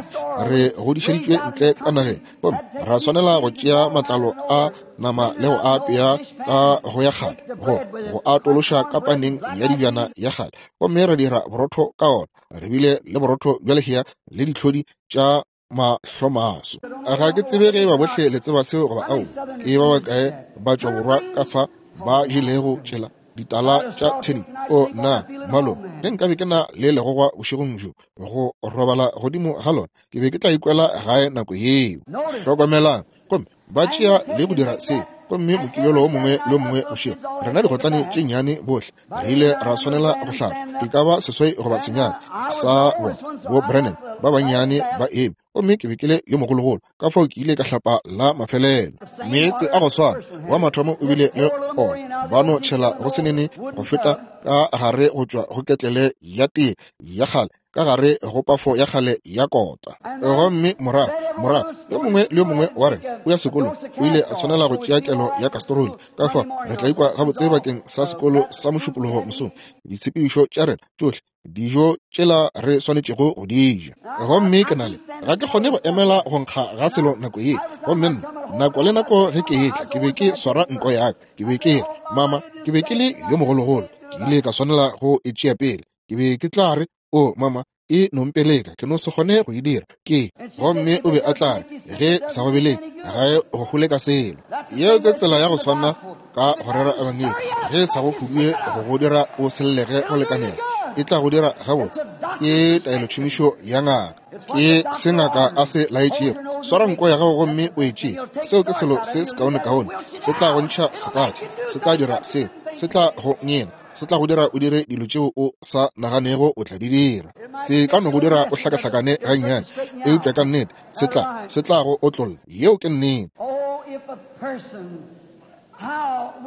Re godišeditšwe ntle ka nageng, gomme ra swanela go tšea matlalo a nama le go a apea ka go ya kgale, go go a tološa ka paneng ya dibjana ya kgale, gomme ra dira borotho ka ona. Re bile le borotho bja lehea le ditlhodi tša mahlomaso. Ga ke tsebe ge ba bohle le tseba seo goba ao. Ke ba bakae ba tšwa borwa ka fa ba jelego tšela ditala tša theni? O nna malo, ge nkabe ke na le legogwa bošegong bjo go robala godimo ga lona, ke be ke tla ikwela gae nako yeo. Hlokomelang, gomme ba tšea le go dira se, gomme mokibelo o mongwe le o mongwe bošego rena digotlane tše nnyane bohle re ile ra swanela go hlapa, e ka ba seswai goba senyane sa bona bo Brennan ba bannyane ba eme, gomme ke be ke le yo mogologolo, ka fao ke ile ka hlapa la mafelelo. Meetse a go swana wa mathomo o bile le ona, ba no tšhela go senene go feta ka gare go tšwa go ketlele ya tee ya kgale, ka gare go pafo ya kgale ya kota. Gomme morago morago yo mongwe le yo mongwe wa rena o ya sekolong o ile a swanela go tšea kelo ya kastroli. Ka fao re tla ikwa gabotse bakeng sa sekolo sa mošupologo mosong, ditshepedišo tša rena tšohle, dijo tšela re swanetšego go di ja. Gomme ke na le, ga ke kgone go emela go nkga ga selo nako ye. Gomme nna nako le nako ge ke etla ke be ke swara nko ya ka, ke be ke re, mama, ke be ke le yo mogologolo, ke ile ka swanela go e tšea pele. Ke be ke tla re, o mama, e nompeleka, ke no se kgone go e dira. Ke gomme o be a tla re, ge sa go beleke ga e go hole ka selo. Yeo ke tsela ya go swana ka go rera ebangedi. Ge sa go hudue go go dira o sellege go lekanela, e tla go dira gabotse. Ke taelotšhomišo ya ngaka, ke se ngaka a se laetšego. Swara nko ya gago gomme o e tšee. Seo ke selo se sekaonekaone. Se tla go ntšha setatšhe, se tla dira se, se tla go ngena, se tla go dira o dire dilo tšeo o sa naganego o tla di dira. Se ka no go dira o hlakahlakane gannyane, eupša ka nnete se tla se tla go otlolla. Yeo ke nnete.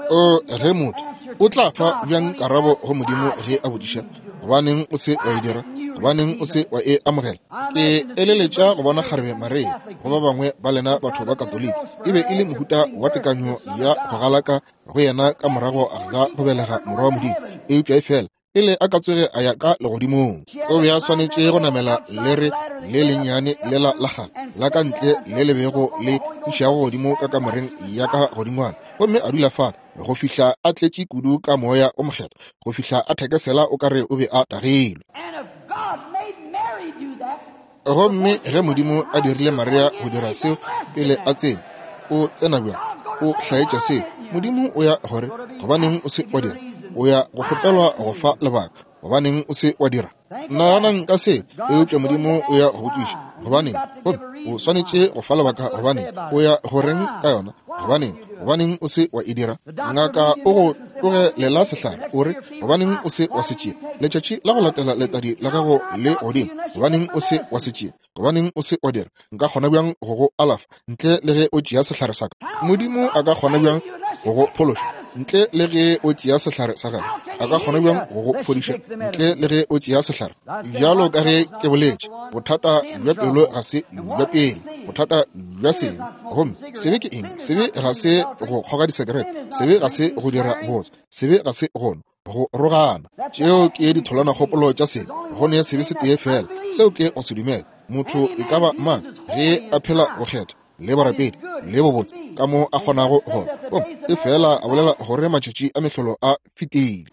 O ge motho o tla fa bjang karabo go Modimo ge a botšiša, gobaneng o se wa e dira, gobaneng o se wa e amogela? Ke eleletša go bona kgarebe Maria go ba bangwe ba lena batho ba Katolika, e be e le mohuta wa tekanyo ya go galaka go yena ka morago ga go belega morwa wa Modimo, eupša e fela pele a ka tsoge a ya ka legodimong, o be a swanetše go namela lere le lennyane lela la kgale la ka ntle le le bego le išago godimo ka kamoreng ya ka godingwana, gomme a dula fale go fihla a tletše kudu ka Moya o Mokgethwa, go fihla a thekesela o ka re o be a tagilwe. Gomme ge Modimo a dirile Maria go dira seo pele a tsena, o tsena bjang? O hlaetša seo. Modimo o ya gore, gobaneng o se wa dira? O ya go kgopelwa go fa lebaka, gobaneng o se wa dira? Naganang ka se, eupša Modimo o ya go botšiša, gobaneng? Gomme o swanetše go fa lebaka, gobaneng? O ya go reng ka yona? Gobaneng? Gobaneng o se wa e dira? Ngaka o go tlogelela sehlare, o re, gobaneng o se wa se tšea? Letšatši la go latela letadi la gago le godimo, gobaneng o se wa se tšea? Gobaneng o se wa dira? Nka kgona bjang go go alafa ntle le ge o tšea sehlare sa ka? Modimo a ka kgona bjang go go phološa ntle le ge o tšea sehlare sa gagwe? A ka kgona bjang go go fodiša ntle le ge o tšea sehlare? Bjalo ka ge ke boletše, bothata bja pelo ga se bja pele, Bothata bja sebe. Gomme sebe ke eng? Sebe ga se go kgoga disekerete, sebe ga se go dira botse, sebe ga se go go rogana. Tšeo ke ditholwanakgopolo tša sebe. Go ne sebe se tee fela, seo ke go se dumela. Motho e ka ba mang ge a phela bokgethwa le borapedi le bobotse ka mo a kgonago go, gomme e fela a bolela gore matšatši a mehlolo a fetile,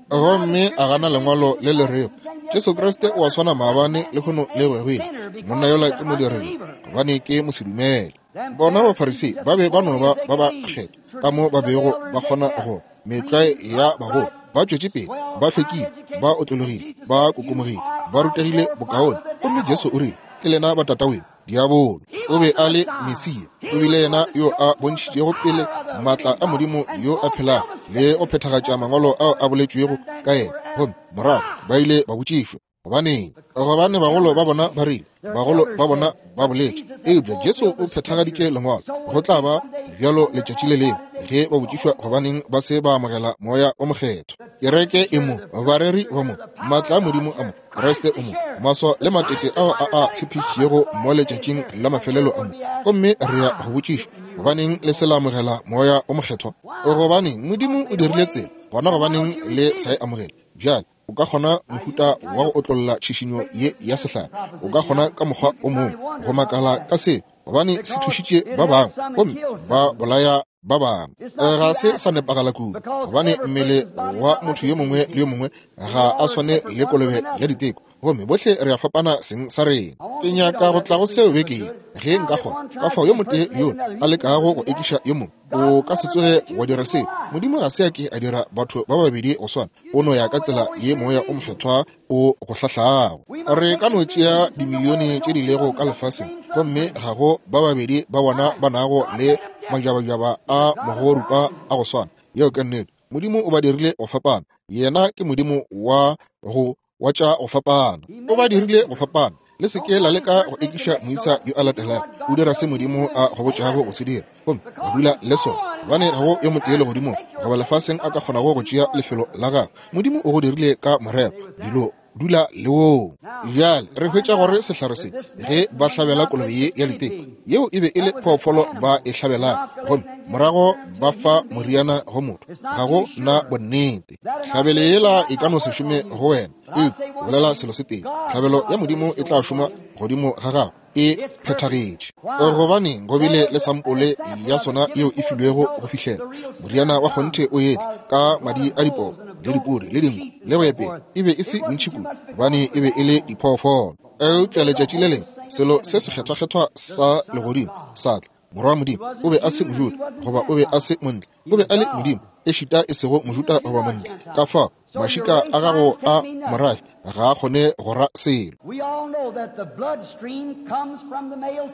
gomme a gana lengwalo le le rego Jesu Kriste o a swana maabane le lehono le goegile, monna yola ke modiredi gobane ke mosedumele. Bona Bafarisei ba be ba no ba ba ba kgethwa ka mo ba bego ba kgona go metlwae ya bagolo, ba tšwetše pele, ba hlwekile, ba otlologile, ba kokomogile, ba rutegile bokaone. Gomme Jesu o rile, ke lena ba tataweno diabolo. O be a le Mesia, o bile yena yo a bontšhitšego pele maatla a Modimo yo a phelago le go phethagatša mangwalo ao a boletšwego ka yena. Gomme morago ba ile ba botšišwa, gobaneng? Gobane bagolo ba bona ba rile, bagolo ba bona ba boletše, eupša Jesu o phethagaditše lengwalo. Go tla ba bjalo letšatši le lengwe ge ba botšišwa gobaneng ba se ba amogela moya o mokgethwa. Kereke e mo, bareri ba mo, maatla a Modimo a mo, Kriste o mo, maswa le matete ao a a tshepišitšego mo letšatšing la mafelelo a mo. Gomme re ya go botšišwa, gobaneng le se la amogela moya o mokgethwa? Gobaneng Modimo o dirile tsela, gona gobaneng le sa e amogele? Bjale o ka kgona mohuta wa go otlolla tšhišinyo ye ya sehlare, o ka kgona ka mokgwa o mongwe go makala ka se, gobane se thušitše ba bangwe gomme ba bolaya ba bangwe. Ga se sa nepagala kudu, gobane mmele wa motho yo mongwe le yo mongwe ga a swane le kolobe ya diteko, gomme bohle re a fapana seng sa rena. Ke nyaka go tla go seo bekeng ge nka kgona. Ka fao yo motee yo a lekago go ekiša yo mongwe, o ka se tsoge wa dira seo. Modimo ga se a ke a dira batho ba babedi go swana, o no ya ka tsela ye moya o mokgethwa o go hlahlago. Re ka no tšea dimilione tše di lego ka lefaseng, gomme ga go ba babedi ba bona ba nago le majabajaba a mogorupa a go swana. Yeo ke nnete. Modimo o ba dirile go fapana. Yena ke Modimo wa go wa tša go fapana. O ba dirile go fapana. Le se ke la leka go ekiša moisa yo a latelago. O dira se Modimo a go botšago go se dira, gomme wa dula le sona. Gobane ga go yo motee legodimong goba lefaseng a ka kgonago go tšea lefelo la gagwe. Modimo o go dirile ka morero, dilo dula le woo. Bjale re hwetša gore sehlare se, ge ba hlabela kolobe ye ya diteko, yeo e be e le phoofolo ba e hlabelago, gomme morago ba fa moriana go motho, ga go na bonnete. Hlabele yela e ka no se šome go wena, eupša bolela selo se tee, hlabelo ya Modimo e tla šoma godimo ga gago, e phethagetše. Gobaneng go bile le sampole ya sona yeo e filwego go fihlela moriana wa kgonthe o etla ka madi a dipoo le dipudi le dinku le go ya pele, e be e se bontši kudu gobane e be e le diphoofolo. Eupša letšatši le lengwe selo se sekgethwakgethwa sa legodimo sa tla. Morwa wa Modimo o be a se Mojuda goba o be a se montle, o be a le Modimo, ešita e sego Mojuda goba montle. Ka fao mašika a gago a morafe ga a kgone go ra selo.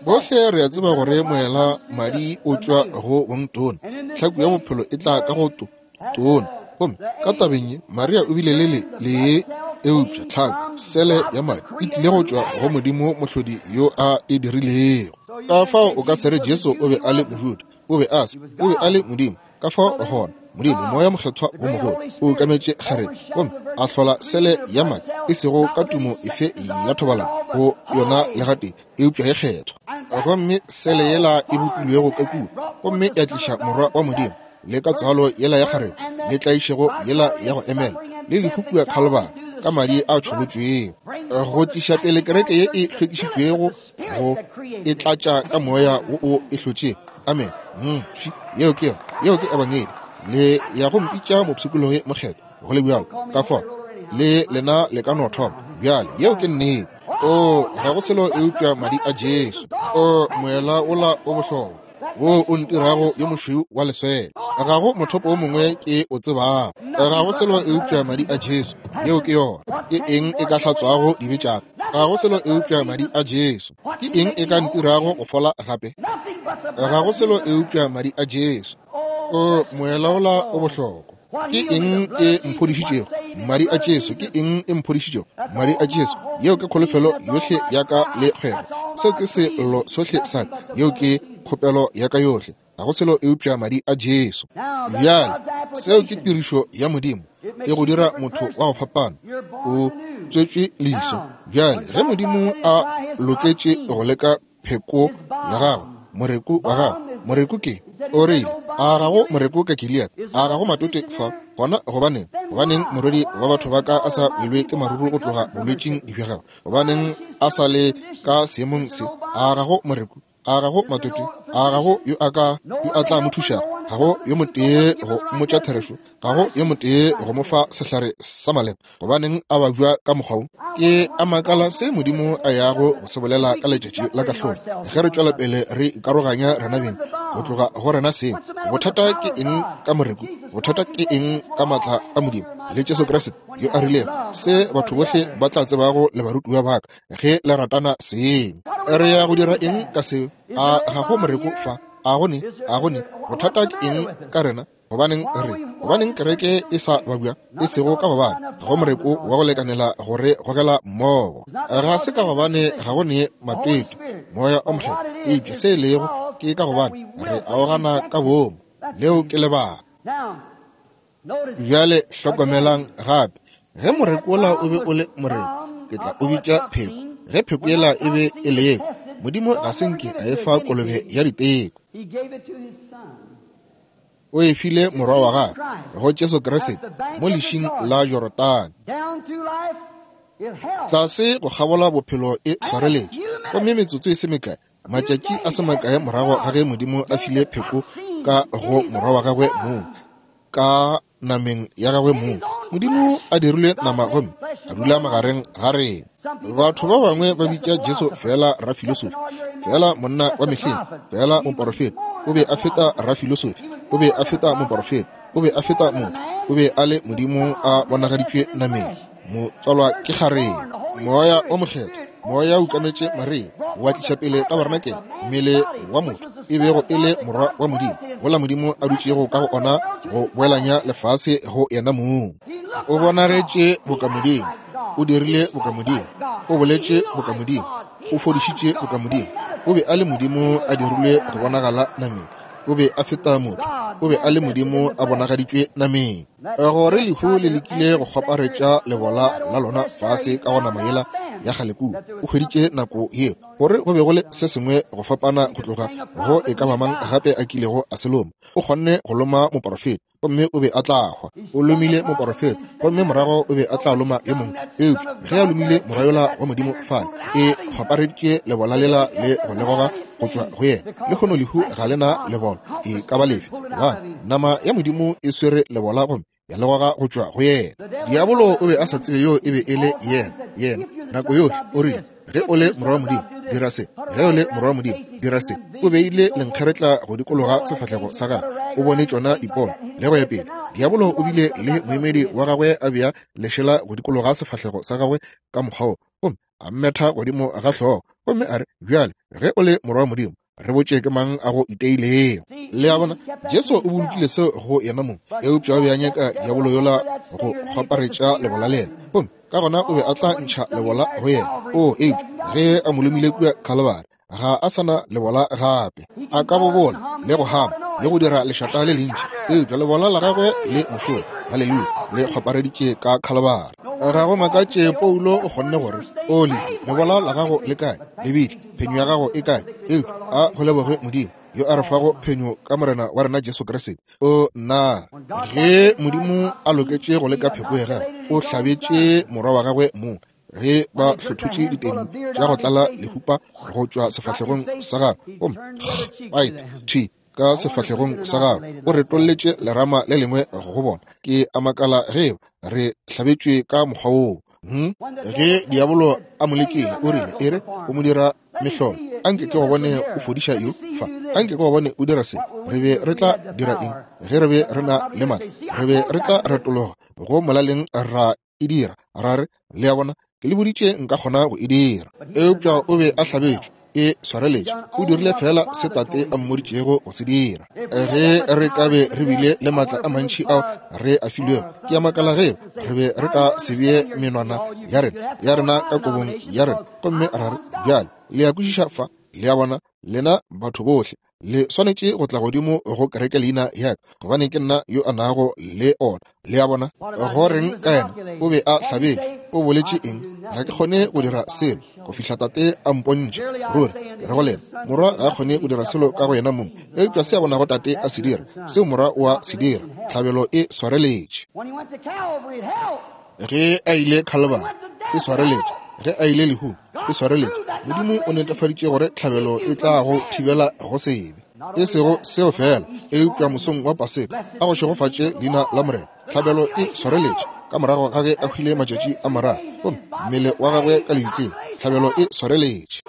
Bohle re a tseba gore moela madi o tšwa go bongtona, tlhaku ya bophelo e tla ka go tona. Gomme ka tabeng ye Maria o bile le le lee, eupša tlhaku sele ya madi e tlile go tšwa go Modimo mohlodi yo a e dirilego. Ka fao o ka se re Jesu o be a le Mojuda, o be a se, o be a le Modimo. Ka fao gona Modimo moya mokgethwa wo mogolo o ukametše kgarebe gomme a hlola sele ya madi, e sego ka tumo efe ya thobalano go yona le gatee, eupša ye kgethwa. Gomme sele yela e bopilwego ka kua, gomme ya tliša morwa wa Modimo, le ka tswalo yela ya kgarebe, le tlaišego yela ya go emela, le lehu kua Khalibari ka madi a tšholotšwego, go tliša pele kereke ye e hlwekišitšwego, go e tlatša ka moya wo o e hlotšego. Amen. Mm, yeo ke yona, yeo ke ebangedi. Le ya go mpitša mopshikologi mokgethwa, go le bjalo. Ka fao le lena le ka no thoma bjale. Yeo ke nnete. O ga go selo eupša madi a Jesu. O moela wola o bohlokwa wo o ntirago yo mošweu wa leswele. Ga go mothopo o mongwe ke o tsebago. Ga go selo eupša madi a Jesu. Yeo ke yona. Ke eng e ka hlatswago dibe tša ka? Ga go selo eupša madi a Jesu. Ke eng e ka ntirago go fola gape? Ga go selo eupša madi a Jesu. O moela wola o bohlokwa. Ke eng e mphodišitšego? Madi a Jesu. Ke eng e mphodišitšego? Madi a Jesu. Yeo ke kholofelo yohle ya ka le kgwebo. Seo ke selo sohle sa ka. Yeo ke kgopelo ya ka yohle. Ga go selo eupša madi a Jesu. Bjale seo ke tirišo ya Modimo e go dira motho wa go fapana. O tswetšwe leso. Bjale ge Modimo a loketše go leka pheko ya gagwe, moreku wa gagwe. Moreku ke o rile, a ga go moreku ka Gilead, a ga go matote fa gona? Gobaneng, gobaneng morwedi wa batho ba ka a sa welwe ke maruru go tloga bolwetšing bja gagwe? Gobaneng a sa le ka seemong se? A ga go moreku, a ga go matote, a ga go yo a ka yo a tla mo thušago, ga go yo motee go mmotša therešo, ga go yo motee go mo fa sehlare sa maleba. Gobaneng a babja ka mokgwa wo? Ke a makala se Modimo a yago go se bolela ka letšatši la kahlolo ge re tšwela pele re ikaroganya rena beng go tloga go rena seng. Bothata ke eng ka moreku? Bothata ke eng ka maatla a Modimo le Jesu Kriste yo a rilego se batho bohle ba tla tsebago le barutiwa ba ka ge le ratana seng? Re ya go dira eng ka seo? A ga go moreku fa? A go ne? A go ne? Bothata ke eng ka rena? Gobaneng re, gobaneng kereke e sa babja? E sego ka gobane ga go moreku wa go lekanela gore gogela mmogo. Ga se ka gobane ga go ne matete moya o mokgethwa, eupša se e lego ke ka gobane re aogana ka boomo. Leo ke lebaka. Bjale hlokomelang gape, ge moreku ola o be o le moreku, ke tla o bitša pheko. Ge pheko yela e be e lekwa, Modimo ga se nke a e fa kolobe ya diteko. O e file morwa wa gagwe go Jesu Kriste mo lešing la Jorodane. Tlase go kgabola bophelo e swareletše, gomme metsotso e se mekae, matšatši a se makae morago ga ge Modimo a file pheko ka go morwa wa gagwe mong, ka nameng ya gagwe mong, Modimo a dirile nama gomme a dula magareng ga rena. Batho ba bangwe ba bitša Jesu fela rafilosofi, fela monna wa mehleng, fela moporofeta. O be a feta rafilosofi, o be a feta moporofeta, o be a feta motho, o be a le Modimo a bonagaditšwe nameng, motswalwa ke kgarebe. Moya o mokgethwa, moya o ukametše Maria, wa tliša pele tabarenakele mmele wa motho e bego e le morwa wa Modimo, gola Modimo a dutšego ka go ona go boelanya lefase go yena mong. O bonagetše boka Modimo, o dirile boka Modimo, o boletše boka Modimo, o fodišitše boka Modimo. O be a le Modimo a dirilwe go bonagala nameng. O be a feta motho, o be a le Modimo a bonagaditšwe nameng. Gore lehu le lekile go kgwaparetša lebola la lona fase ka go nama yela ya kgale kua, o hweditše nako yeo gore go be go le se sengwe go fapana go tloga go e ka ba mang gape a kilego a se loma. O kgonne go loma moporofeta, gomme o be a tla hwa. O lomile moporofeta, gomme morago o be a tla loma yo mongwe. Eupša ge a lomile morwa yola wa Modimo fale, e kgwapareditše lebola lela le go le goga go tšwa go yena. Lehono lehu ga le na lebola e ka ba lefe, gobane nama ya Modimo e swere lebola gomme ya le goga go tšwa go yena. Diabolo o be a sa tsebe yo e be e le yena. Yena nako yohle o rile, ge o le morwa wa Modimo, dira se. Ge o le morwa wa Modimo, dira se. O beile lenkgeretla go dikologa sefahlego sa gagwe, o bone tšona dipono le go ya pele. Diabolo o bile le moemedi wa gagwe a bea lešela go dikologa sefahlego sa gagwe ka mokgwa wo, gomme a mmetha godimo ga hlogo, gomme a re, bjale ge o le morwa wa Modimo, re botše ke mang a go iteilego. Le a bona, Jesu o bolokile seo go yena mong, eupša o be a nyaka diabolo yola go kgwaparetša lebola le yena, gomme ka gona o be a tla ntšha lebola go yena. O eupša ge a mo lomile kua Kalvari, ga a sa na lebola gape. A ka bobola le go hama le go dira lešata le lentši, eupša lebola la gagwe le mošomo, haleluya, le kgwapareditše ka Kalvari. Ga go makatše Paulo o kgonne gore, Oli, lebola la gago le kae? Lebitla, phenyo ya gago e kae? Eupša a go leboge Modimo yo a re fago phenyo ka Morena wa rena Jesu Kriste. O nna, ge Modimo a loketše go leka pheko ya gagwe, o hlabetše morwa wa gagwe mong. Ge ba hlothotše diteng tša go tlala lehupa go tšwa sefahlegong sa gagwe, gomme right thwi ka sefahlegong sa gagwe, o retolletše lerama le lengwe go bona. Ke a makala ge re hlabetšwe ka mokgwa woo. Hmm? Ge diabolo a mo lekile, o rile, e re o mo dira mehlolo, anke ke go bone o fodiša yo fa, anke ke go bone o dira se. Re be re tla dira eng ge re be re na le matla? Re be re tla retologa go molaleng ra e dira, ra re, le a bona, ke le boditše nka kgona go e dira. Eupša o be a hlabetšwe, e swareletše, o dirile fela se tate a mmoditšego go se dira. Ge re ka be re bile le matla a mantši ao re a filwego, ke a makala ge re be re ka se bee menwana ya rena ya rena ka kobong ya rena, gomme ra re, bjale le a kwešiša fa, le a bona, lena batho bohle Le swanetše go tla godimo go kereke leina ya ka, gobane ke nna yo a nago le ona. Le a bona? Go reng ka yena? O be a hlabetšwe. O boletše eng? Ga ke kgone go dira selo go fihla Tate a mpontšha. Ruri, ke re go lena, Morwa ga a kgone go dira selo ka go yena mong, eupša se a bonago Tate a se dira, seo Morwa o a se dira. Tlhabelo e swareletše. Ge a ile Calvary, e swareletše. Ge a ile lehung, e swareletše. Modimo o netefaditše gore tlhabelo e tla go thibela go sebe. E sego seo fela, eupša mosong wa Paseka, a go šegofatše leina la Morena. Tlhabelo e swareletše ka morago ga ge a hwile matšatši a mararo, gomme mmele wa gagwe ka lebitleng. Tlhabelo e swareletše.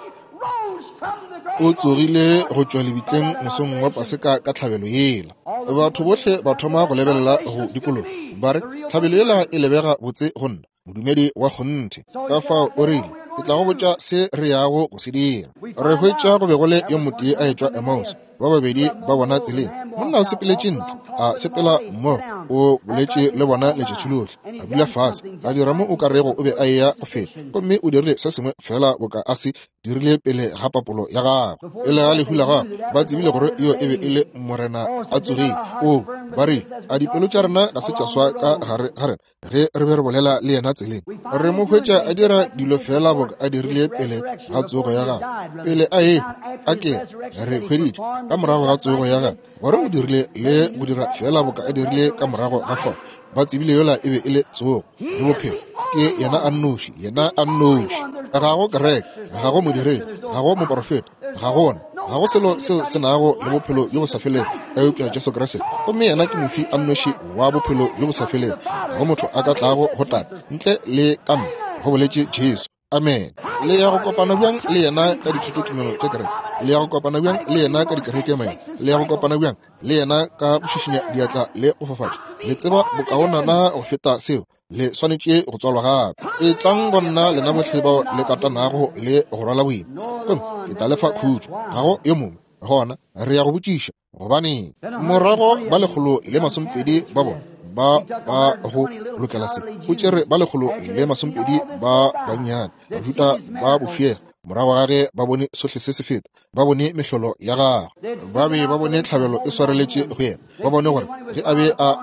O tsogile go tšwa lebitleng mosong wa Paseka ka tlhabelo yela. Batho bohle ba thoma go lebelela go dikologa, ba re, tlhabelo yela e lebega botse go nna, modumedi wa kgonthe. Ka fao o rile, ke tla go botša se re yago go se dira. Re hwetša go be go le yo motee a etšwa Emmaus, ba babedi ba bona tseleng. Monna o sepeletše ntle, a sepela mmogo, o boletše le bona letšatši lohle, a dula fase, a dira mo o ka rego o be a eya go feta, gomme o dirile se sengwe fela boka a se dirile pele ga papolo ya gagwe. Pele ga lehu la gagwe, ba tsebile gore yo e be e le Morena a tsogile. O ba rile, a dipelo tša rena ga se tša swa ka gare ga rena ge re be re bolela le yena tseleng? Re mo hwetša a dira dilo fela boka a dirile pele ga tsogo ya gagwe. Pele a ehwa, a ke re hweditše ka morago ga tsogo ya gagwe gore o dirile le go dira fela boka a dirile ka morago ga fao. Ba tsebile yola e be e le tsogo le bophelo. Ke yena a nnoši, yena a nnoši. Ga go kereke, ga go modiredi, ga go moporofeta, ga gona, ga go selo seo se nago le bophelo bjo bo sa felego eupša Jesu Kriste. Gomme yena ke mofi a nnoši wa bophelo bjo bo sa felego. Ga go motho a ka tlago go Tate ntle le ka nna, go boletše Jesu. Amen. Le ya go kopana bjang le yena ka dithutotumelo tša kereke? Le ya go kopana bjang le yena ka dikereke maina? Le ya go kopana bjang le yena ka go šišinya diatla le go fafatša? Le tseba bokaonana go feta seo. Le swanetše go tswalwa gape. E tlang go nna lena bohle bao le katanago le go rwala boima, gomme ke tla le fa khutšo. Ga go yo mongwe. Gona re ya go botšiša, gobaneng morago ba lekgolo le masomepedi ba bona ba ba go lokela se? O tšere ba lekgolo le masomepedi ba bannyane, Bajuda ba bofiega, morago ga ge ba bone sohle se se feta, ba bone mehlolo ya gagwe, ba be ba bone tlhabelo e swareletše go yena, ba bone gore ge a be a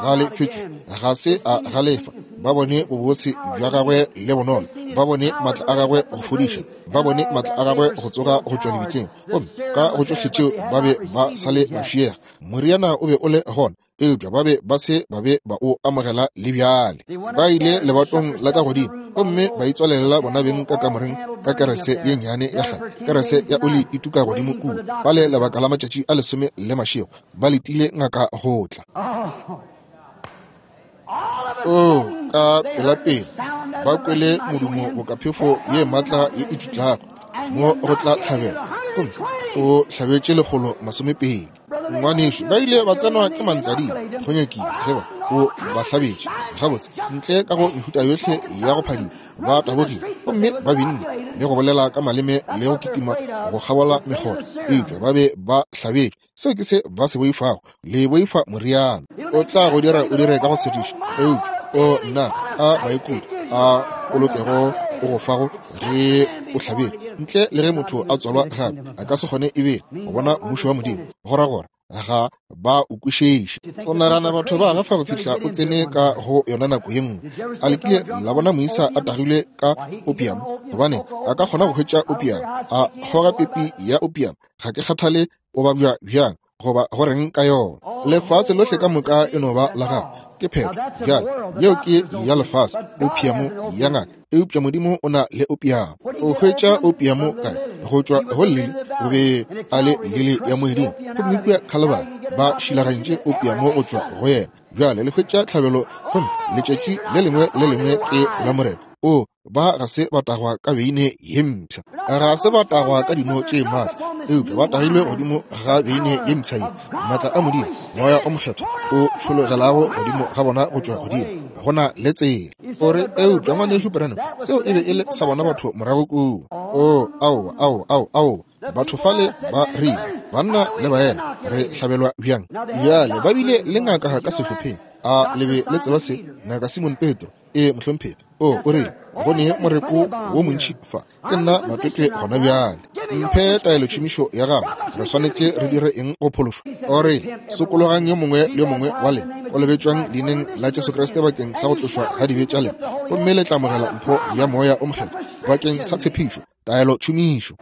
galefetšwe ga se a galefa, ba bone bobose bja gagwe le bonolo, ba bone maatla a gagwe go fodiša, ba bone maatla a gagwe go tsoga go tšwa lebitleng. Gomme ka go tšohle tšeo ba be ba sa le mafiega. Moriana o be o le gona, eupša ba be ba se ba be ba o amogela le bjale. Ba ile lebatong la ka godimo gomme ba itswalela bona beng ka kamoreng ka kerese ye nnyane ya kgale, kerese ya oli e tuka godimo kua, ba le lebaka la matšatši a lesome le mašego ba letile ngaka go tla. O ka pelapele ba kwele modumo bokaphefo ye maatla ye e tšutlago mo go tla tlhabela, gomme o hlabetše lekgolo masomepedi. Ngwanešu, ba ile ba tsenwa ke mantladima go nyakile ge ba o ba hlabetše gabotse ntle ka go mehuta yohle ya go phadima. Ba tabogile gomme ba binne le go bolela ka maleme le go kitima go kgabola mekgotha, eupša ba be ba hlabetše. Seo ke se ba se boifago. Le boifa moriana. O tla go dira o dire ka go segiša, eupša o nna a maikutlo a polokego o go fago ge o hlabetše. Ntle le ge motho a tswalwa gape, a ka se kgone ebile go bona mmušo wa Modimo. Go ra gore ga ba o kwešiše. O nagana batho ba gafa go fihla o tsene ka go yona nako ye nngwe. A le kile la bona moisa a tagilwe ka opium? Gobane a ka kgona go hwetša opium, a kgoga pepi ya opium. Ga ke kgathale o babja bjang goba go reng ka yona. Lefase lohle ka moka e no ba la gago. Ke phetho. Bjale yeo ke ya lefase, opium ya ngaka. Eupša Modimo o na le opium. O hwetša opium kae? Go tšwa go lili. O be a le lili ya moeding, gomme kua Calvary ba šilagantše opium go tšwa go yena. Bjale le hwetša tlhabelo, gomme letšatši le lengwe le lengwe ke la Morena. O ba ga se ba tagwa ka beine ye mpsha, ga se ba tagwa ka dino tše maatla, eupša ba tagilwe godimo ga beine ye mpsha ye, maatla a Modimo, Moya o Mokgethwa o tšhologelago godimo ga bona go tšwa godimo. Go na le tsela. O re, eupša ngwanešu Branham, seo e be e le sa bona batho morago kua. O, aowa, aowa, aowa, aowa. Batho fale ba rile, banna le baena, re hlabelwa bjang? Bjale ba bile le ngaka ka sehlopheng. A le be le tseba se? Ngaka Simon Petro. E mohlomphegi. O, o rile, go ne moreko wo montši fa. Ke nna matwetwe gona bjale. Mphe taelotšhomišo ya gago. Re swanetše re dire eng go phološwa? O rile, sokologang yo mongwe le yo mongwe wa lena, kolobetšwang leineng la Jesu Kriste bakeng sa go tlošwa ga dibe tša lena, gomme le tla amogela mpho ya Moya o Mokgethwa bakeng sa tshepišo. Taelotšhomišo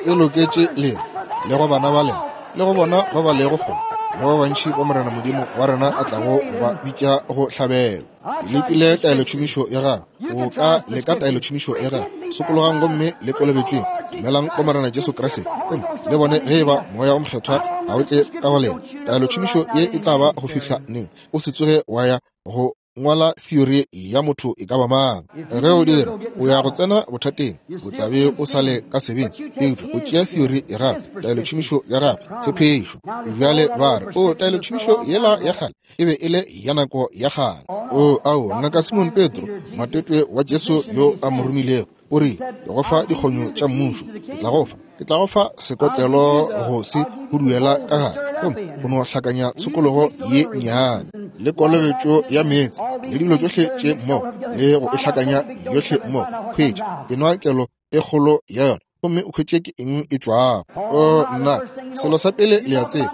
e loketše lena le go bana ba lena le go bona ba ba lego kgole le ba bantši ba Morena Modimo wa rena a tlago ba bitša go hlabela. Lekile taelotšhomišo ya gago. O ka leka taelotšhomišo ya gago. Sokologang gomme le kolobetšweng. Dumelang go Morena Jesu Kriste gomme le bone ge eba Moya o Mokgethwa ga o tle ka go lena. Taelotšhomišo ye e tla ba go fihla neng? O se tsoge wa ya go ngwala theory ya motho e ka ba mang. Ge o dira, o ya go tsena bothateng, o tla be o sa le ka sebeng. Eupša o tšea theory ya gago, taelotšhomišo ya gago, tshepišo. Bjale ba re, o taelotšhomišo yela ya kgale e be e le ya nako ya kgale. O ao, ngaka Simon Petro, matetwe wa Jesu yo a mo romilego, o rile, ke go fa dikgonyo tša mmušo, ke tla go fa, ke tla go fa sekotlelo go se huduela ka gare, gomme o no hlakanya tshokologo ye nnyane le kolobetšo ya meetse le dilo tšohle tše mmogo, le go e hlakanya yohle mmogo. Hwetša, enwa kelo e kgolo ya yona, gomme o hwetše ke eng e tšwago. O nna, selo sa pele le a tseba,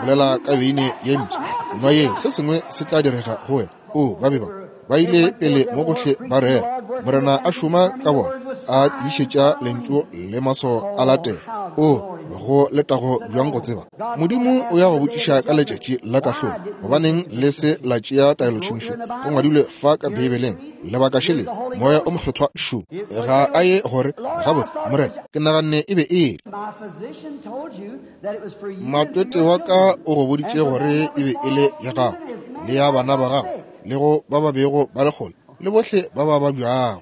bolela ka beine ye mpsha, nwa yeo, se sengwe se tla direga go wena. O ba be ba ba ile pele mo gohle ba rera, Morena a šoma ka bona, a tiišetša lentšu le maswao a latela. O go letago bjang go tseba Modimo o ya go botšiša ka letšatši la kahlolo, gobaneng le se la tšea taelotšhomišo? Go ngwadilwe fa ka Beibeleng, lebaka šele Moya o Mokgethwa šo ga a ye gore gabotse, Morena, ke naganne e be e le matwete wa ka o go boditše gore e be e le ya gago le ya bana ba gago le go ba ba bego ba le kgole le bohle ba ba babjago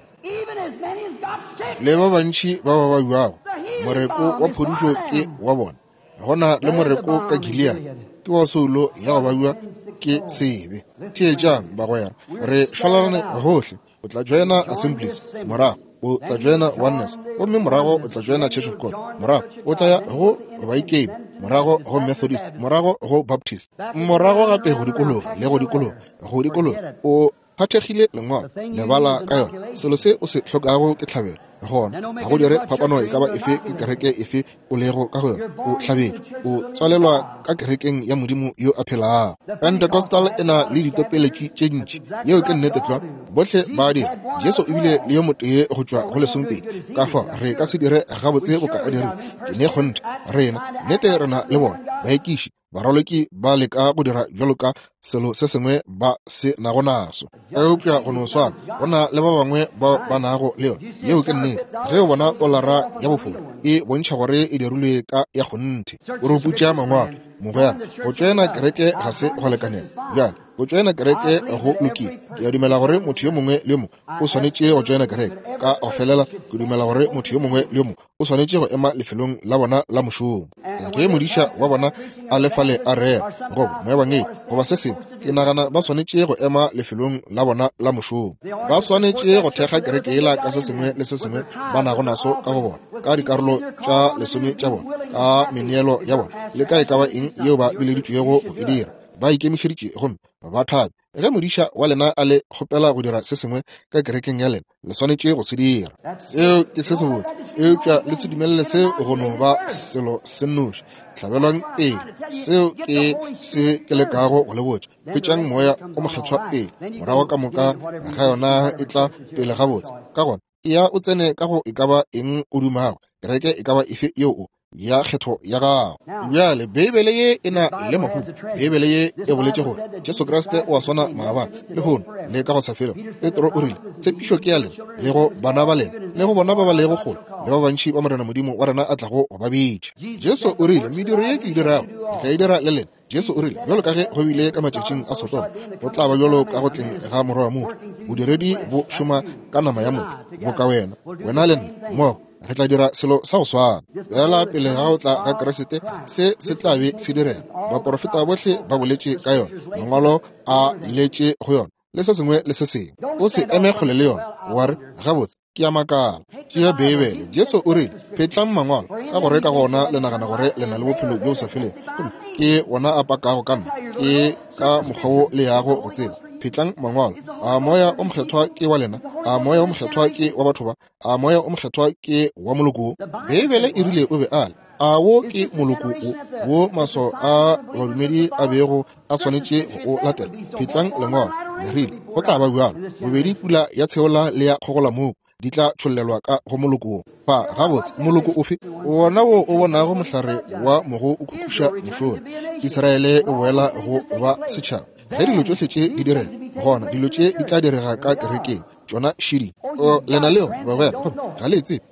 le ba bantši ba ba babjago. Moreko wa phodišo ke wa bona. Gona le moreko ka Gilead ke wa soulo ya go babja ke sebe. Theetšang bagwera, re šwalalane gohle. O tla joina Assemblies, morago o tla joina Oneness, gomme morago o tla joina Church of God, morago o tla ya go Baikemi, morago go Methodist, morago go Baptist, morago gape go dikologa le go dikologa go dikologa. O phathegile lengwalo, lebala ka yona. Selo se o se hlokago ke tlhabelo. Gona ga go dire phapano e ka ba efe ke kereke efe o lego ka go yona. O hlabetšwe, o tswalelwa ka kerekeng ya Modimo yo a phelago. Pentecostal e na le ditopeletši tše ntši, yeo ke nnete tlwa, bohle ba dira. Jesu o bile le yo motee go tšwa go lesomepedi, ka fao re ka se dire gabotse boka a dirile. Ke ne kgonthe, rena nnete re na le bona baekiši, baraloki ba leka go dira bjalo ka selo se sengwe ba se nago naso, eupša go no swana go na le ba bangwe ba ba nago le yona. Yeo ke nnete. Ge o bona tolara ya bofora e bontšha gore e dirilwe ka ya kgonthe. O re putša mangwalo, mogwera, go tšoena kereke ga se go lekanela. Bjale go tšoena kereke go lokile. Ke a dumela gore motho yo mongwe le yo mongwe o swanetše go tšoena kereke ka go felela. Ke dumela gore motho yo mongwe le yo mongwe o swanetše go ema lefelong la bona la mošomo. Ge modiša wa bona a le fale a rera goba moebangedi goba se sengwe, ke nagana ba swanetše go ema lefelong la bona la mošomo. Ba swanetše go thekga kereke yela ka se sengwe le se sengwe ba nago naso ka go bona, ka dikarolo tša lesome tša bona, ka meneelo ya bona, le ka e ka ba eng yeo ba bileditšwego go e dira. Ba ikemišeditše gomme ba thabe. Ge modiša wa lena a le kgopela go dira se sengwe ka kerekeng ya lena, le swanetše go se dira. Seo ke se sebotse, eupša le se dumelele seo go no ba selo se nnoši. Hlabelwang pele. Seo ke se ke lekago go le botša. Hwetšang Moya o Mokgethwa pele, morago ka moka ga yona e tla pele gabotse. Ka gona eya o tsene ka go e ka ba eng o dumago, kereke e ka ba efe yeo o ya kgetho ya gago. Bjale Beibele ye e na le mahumo. Beibele ye e boletše gore Jesu Kriste o a swana maabane, lehono le ka go sa felego. Petro o rile, tshepišo ke ya lena le go bana ba lena le go bona ba ba lego kgole le ba bantši ba Morena Modimo wa rena a tlago go ba bitša. Jesu o rile, mediro ye ke e dirago ke tla e dira le lena. Jesu o rile, bjalo ka ge go bile ka matšatšing a Sodoma, go tla ba bjalo ka go tleng ga morwa wa motho. Bodiredi bo šoma ka nama ya motho, boka wena, wena le nna mmogo re tla dira selo sa go swana. Fela pele ga go tla ga Kriste, se se tla be se direga. Baporofeta bohle ba boletše ka yona, mangwalo a letše go yona, le se sengwe le se sengwe. O se eme kgole le yona, wa re, gabotse, ke a makala. Tšea Beibele. Jesu o rile, phetlang mangwalo, ka gore ka gona le nagana gore le na le bophelo bjo bo sa felego, gomme ke wona a pakago ka nna. Ke ka mokgwa wo le yago go tseba. Phetlang Mangwalo. A Moya o Mokgethwa ke wa lena? A Moya o Mokgethwa ke wa batho ba? A Moya o Mokgethwa ke wa moloko wo? Beibele e rile o be a le. A wo ke moloko wo, wo maswao a badumedi a bego a swanetše go o latela? Phetlang Lengwalo. Le rile go tla ba bjalo. Bobedi pula ya tsheola le ya kgogolamoku di tla tšhollelwa ka go moloko wo. Fa gabotse moloko ofe? Wona wo o bonago mohlare wa mogo o khukhuša mošola. Israele e boela go ba setšhaba. Ge dilo tšohle tše di direga, gona dilo tše di tla direga ka kerekeng. Tšona šidi. O lena leo bagwera, ga le tsebe.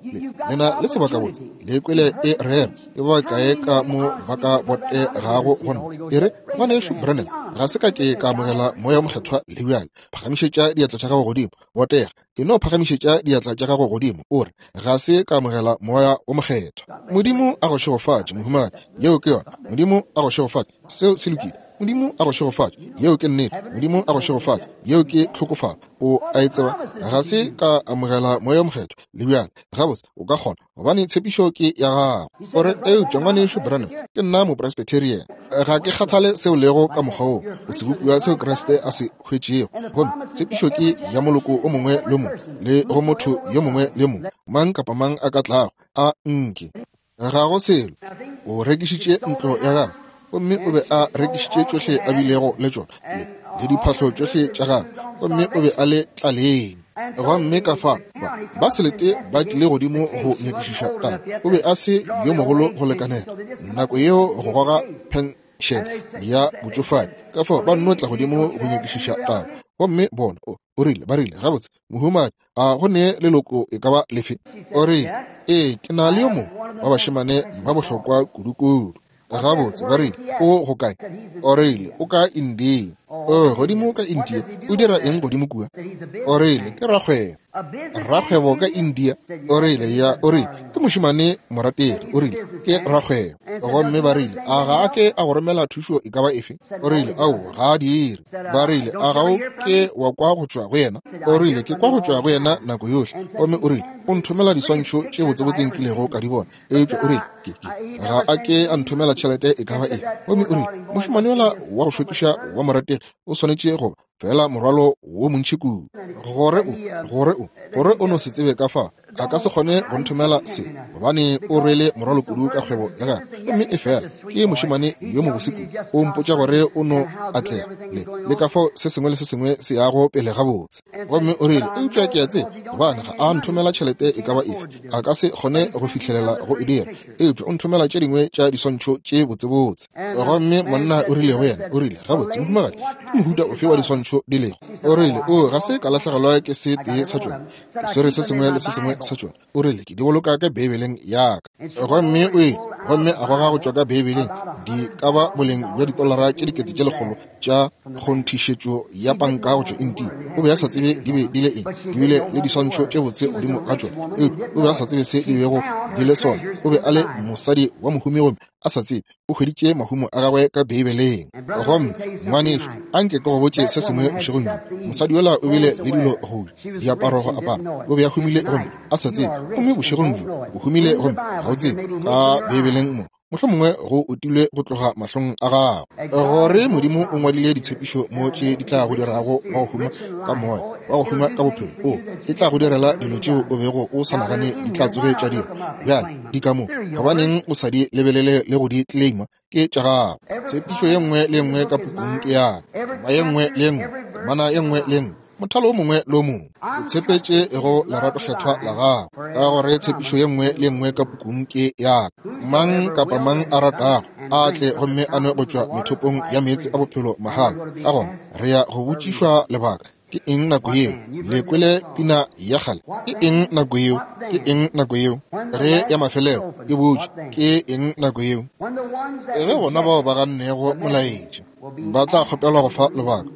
Lena le sebakabotse. Le kwele e rera. Ke ba kae ka mo ba ka botegago go nna? E re, ngwanešu Branham, ga se ka ke ka amogela Moya o Mokgethwa le bjale. Phagamišetša diatla tša gago godimo. Botega. E no phagamišetša diatla tša gago godimo. O re, ga se ka amogela Moya o Mokgethwa. Modimo a go šegofatše, mohumagadi. Yeo ke yona. Modimo a go šegofatše. Seo se lokile. Modimo a go šegofatše. Yeo ke nnete. Modimo a go šegofatše. Yeo ke tlhokofalo. O a e tseba. Ga se ka amogela Moya o Mokgethwa le bjale. Gabotse o ka kgona, gobane tshepišo ke ya gago. O re, eupša ngwanešu Branham, ke nna mopresbyterian. Ga ke kgathale seo lego ka mokgwa woo. O sebopiwa seo Kriste a se hwetšego. Gomme tshepišo ke ya moloko o mongwe le mongwe, le go motho yo mongwe le mongwe, mang kapa mang a ka tlago a nke. Ga go selo. O rekišitše ntlo ya gagwe, gomme o be a rekišitše tšohle a bilego le tšona, le, le diphahlo tšohle tša gagwe, gomme o be a le tlaleng. Gomme ka fa ba, ba selete ba tlile godimo go nyakišiša taba. O be a se yo mogolo go lekanela nako yeo go goga penšene ya botšofadi. Ka fao ba nno tla godimo go nyakišiša taba. Gomme bona, o, o rile, ba rile, gabotse, mohumagadi, a go ne leloko e ka ba lefe? O rile, ee, ke na le yo mongwe wa bašemane ba bohlokwa kudu-kudu. Gabotse, ba rile, o go kae? O rile, o ka India. O godimo ka India. O dira eng godimo kua? O rile, ke rakgwebo. Rakgwebo ka India. O rile, ya, o rile, ke mošemane morategi. O rile, ke rakgwebo. Gomme ba rile, a ga a ke a go romela thušo e ka ba efe? O rile, ao, ga a dire. Ba rile, a ga o ke wa kwa go tšwa go yena? O rile, ke kwa go tšwa go yena nako yohle. Gomme o rile, o nthomela diswantšho tše botsebotse nkilego ka di bona. Eupša o rile, ke, ke, ga a ke a nthomela tšhelete e ka ba efe. Gomme o rile, mošemane yola wa go šokiša wa morategi o swanetše go ba fela morwalo wo montši kudu, gore o, gore o, gore o no se tsebe ka fa a ka se kgone go nthomela se, gobane o rwele morwalo kudu ka kgwebo ya gagwe. Gomme e fela ke mošemane yo mobose kudu. O mpotša gore o no atlega le, le ka fao se sengwe le se sengwe se yago pele gabotse. Gomme o rile, eupša ke a tseba gobane ga a nthomela tšhelete e ka ba efe, a ka se kgone go fihlelela go e dira, eupša o nthomela tše dingwe tša diswantšho tše botsebotse. Gomme monna o rile go yena, o rile, gabotse mohumagadi, ke mohuta ofe wa diswantšho di lego? O rile, o ga se ka lahlegelwa ke se tee sa tšona, ke swere se sengwe le se sengwe sa tšona. O rile, ke di boloka ka Beibeleng ya ka. Gomme o ile, gomme a goga go tšwa ka Beibeleng di ka ba boleng bja ditolara tše dikete tše lekgolo tša kgonthišetšo ya panka go tšwa India. O be a sa tsebe di be di le eng, di bile le diswantšho tše botse godimo ga tšona, eupša o be a sa tsebe se di bego di le sona. O be a le mosadi wa mohumi gomme a sa tsebe o hweditše mahumo a gagwe ka Beibeleng. Gomme ngwanešu, anke ke go botše se sengwe bošegong bjo. Mosadi yola o bile le dilo go ja, diaparo go apara, o be a humile gomme a sa tsebe. Gomme bošegong bjo o humile gomme ga o tsebe. Ka Beibeleng mo mohlomongwe go utilwe go tloga mahlong a gago, gore Modimo o ngwadile ditshepišo mo tše di tla go dirago wa go huma ka moya, wa go huma ka bophelo. O e tla go direla dilo tšeo o bego o sa nagane di tla tsoge tša dira. Bjale di ka mo, gobaneng o sa di lebelele le go di claima? Ke tša gago. Tshepišo ye nngwe le nngwe ka pukung ke ya ka, ye nngwe le nngwe, temana ye nngwe le nngwe, mothalo o mongwe le o mongwe. Ke tshepetše go lerato kgethwa la gago, ka gore tshepišo ye nngwe le nngwe ka pukung ke ya ka. Mang kapa mang a ratago a tle gomme a nwe go tšwa methopong ya meetse a bophelo mahala. Ka gona re ya go botšišwa lebaka. Ke eng nako yeo? Le kwele pina ya kgale. Ke eng nako yeo? Ke eng nako yeo? Ge ya mafelelo e butše, ke eng nako yeo? Ge bona bao ba gannego molaetša ba tla kgopelwa go fa lebaka.